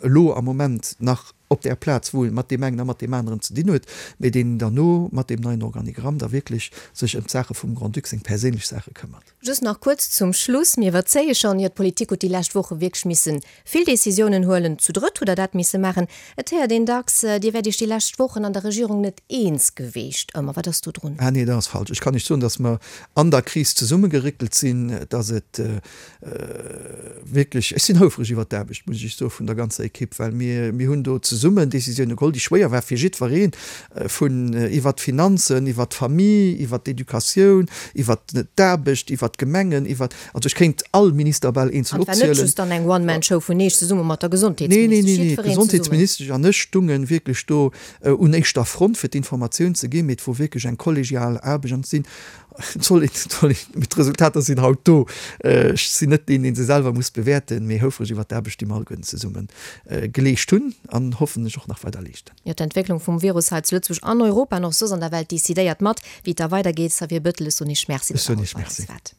elo am Moment nach op där Plaz, wou e mat deem engen a mat deem aneren ze dinn huet, mee deen derno mat deem neien Organigramm da wierklech sech ëm d'Saache vum Grand-Duc, seng perséinlech Saache këmmert. Just nach kuerz zum Schluss, mir iwwerzéie schonn, jo d'Politik huet déi lescht Woche wierklech missen vill Decisiounen huelen, zu drëtt hutt Der dat misse maachen. Et héiert een dacks, Dir wäert Iech déi lescht Wochen an der Regierung net eens geweecht ëmmer. Wat ass do drun? Ah nee, dat ass falsch. Ech kann Iech soen, datt mer an der Kris zesummegeréckelt sinn, datt et wierklech, ech sinn houfreg iwwert d'Aarbecht, muss ech Iech soen, vun der ganzer Ekipp, well mir, mir hunn do zesummen Décisioune geholl, déi schwéier war fir jiddwereen, vun iwwert d'Finanzen, iwwert d'Famille, iwwert d'Educatioun, iwwert d'Aarbecht, iwwert d'Gemengen, iwwert, also ech kéint all Minister bal eenzel An et war net opzielen. just dann eng One-Man-Show vun Iech zesumme mat der Nee, nee, Gesondheetsministesch, nee, nee, jiddwereen zesummen. d'Gesondheetsministesch an ech stungen wierklech do un éischter Front, fir d'Informatioun ze ginn, mee et wor wierklech eng kollegial Aarbecht an et sinn Et soll een, et soll een, mee d'Resultater sinn haut do. Ech sinn net deen, dee se selwer muss bewäerten, mee houfreg iwwert d'Aarbecht, déi mer alleguerten zesumme geleescht hunn an hoffentlech och nach weider leeschten. Jo, d'Entwécklung vum Virus hei zu Lëtzebuerg, an Europa an och soss an der Welt decidéiert mat, wéi et da weidergeet. Xavier Bettel, ech soen Iech Merci, datt Der haut bei eis waart.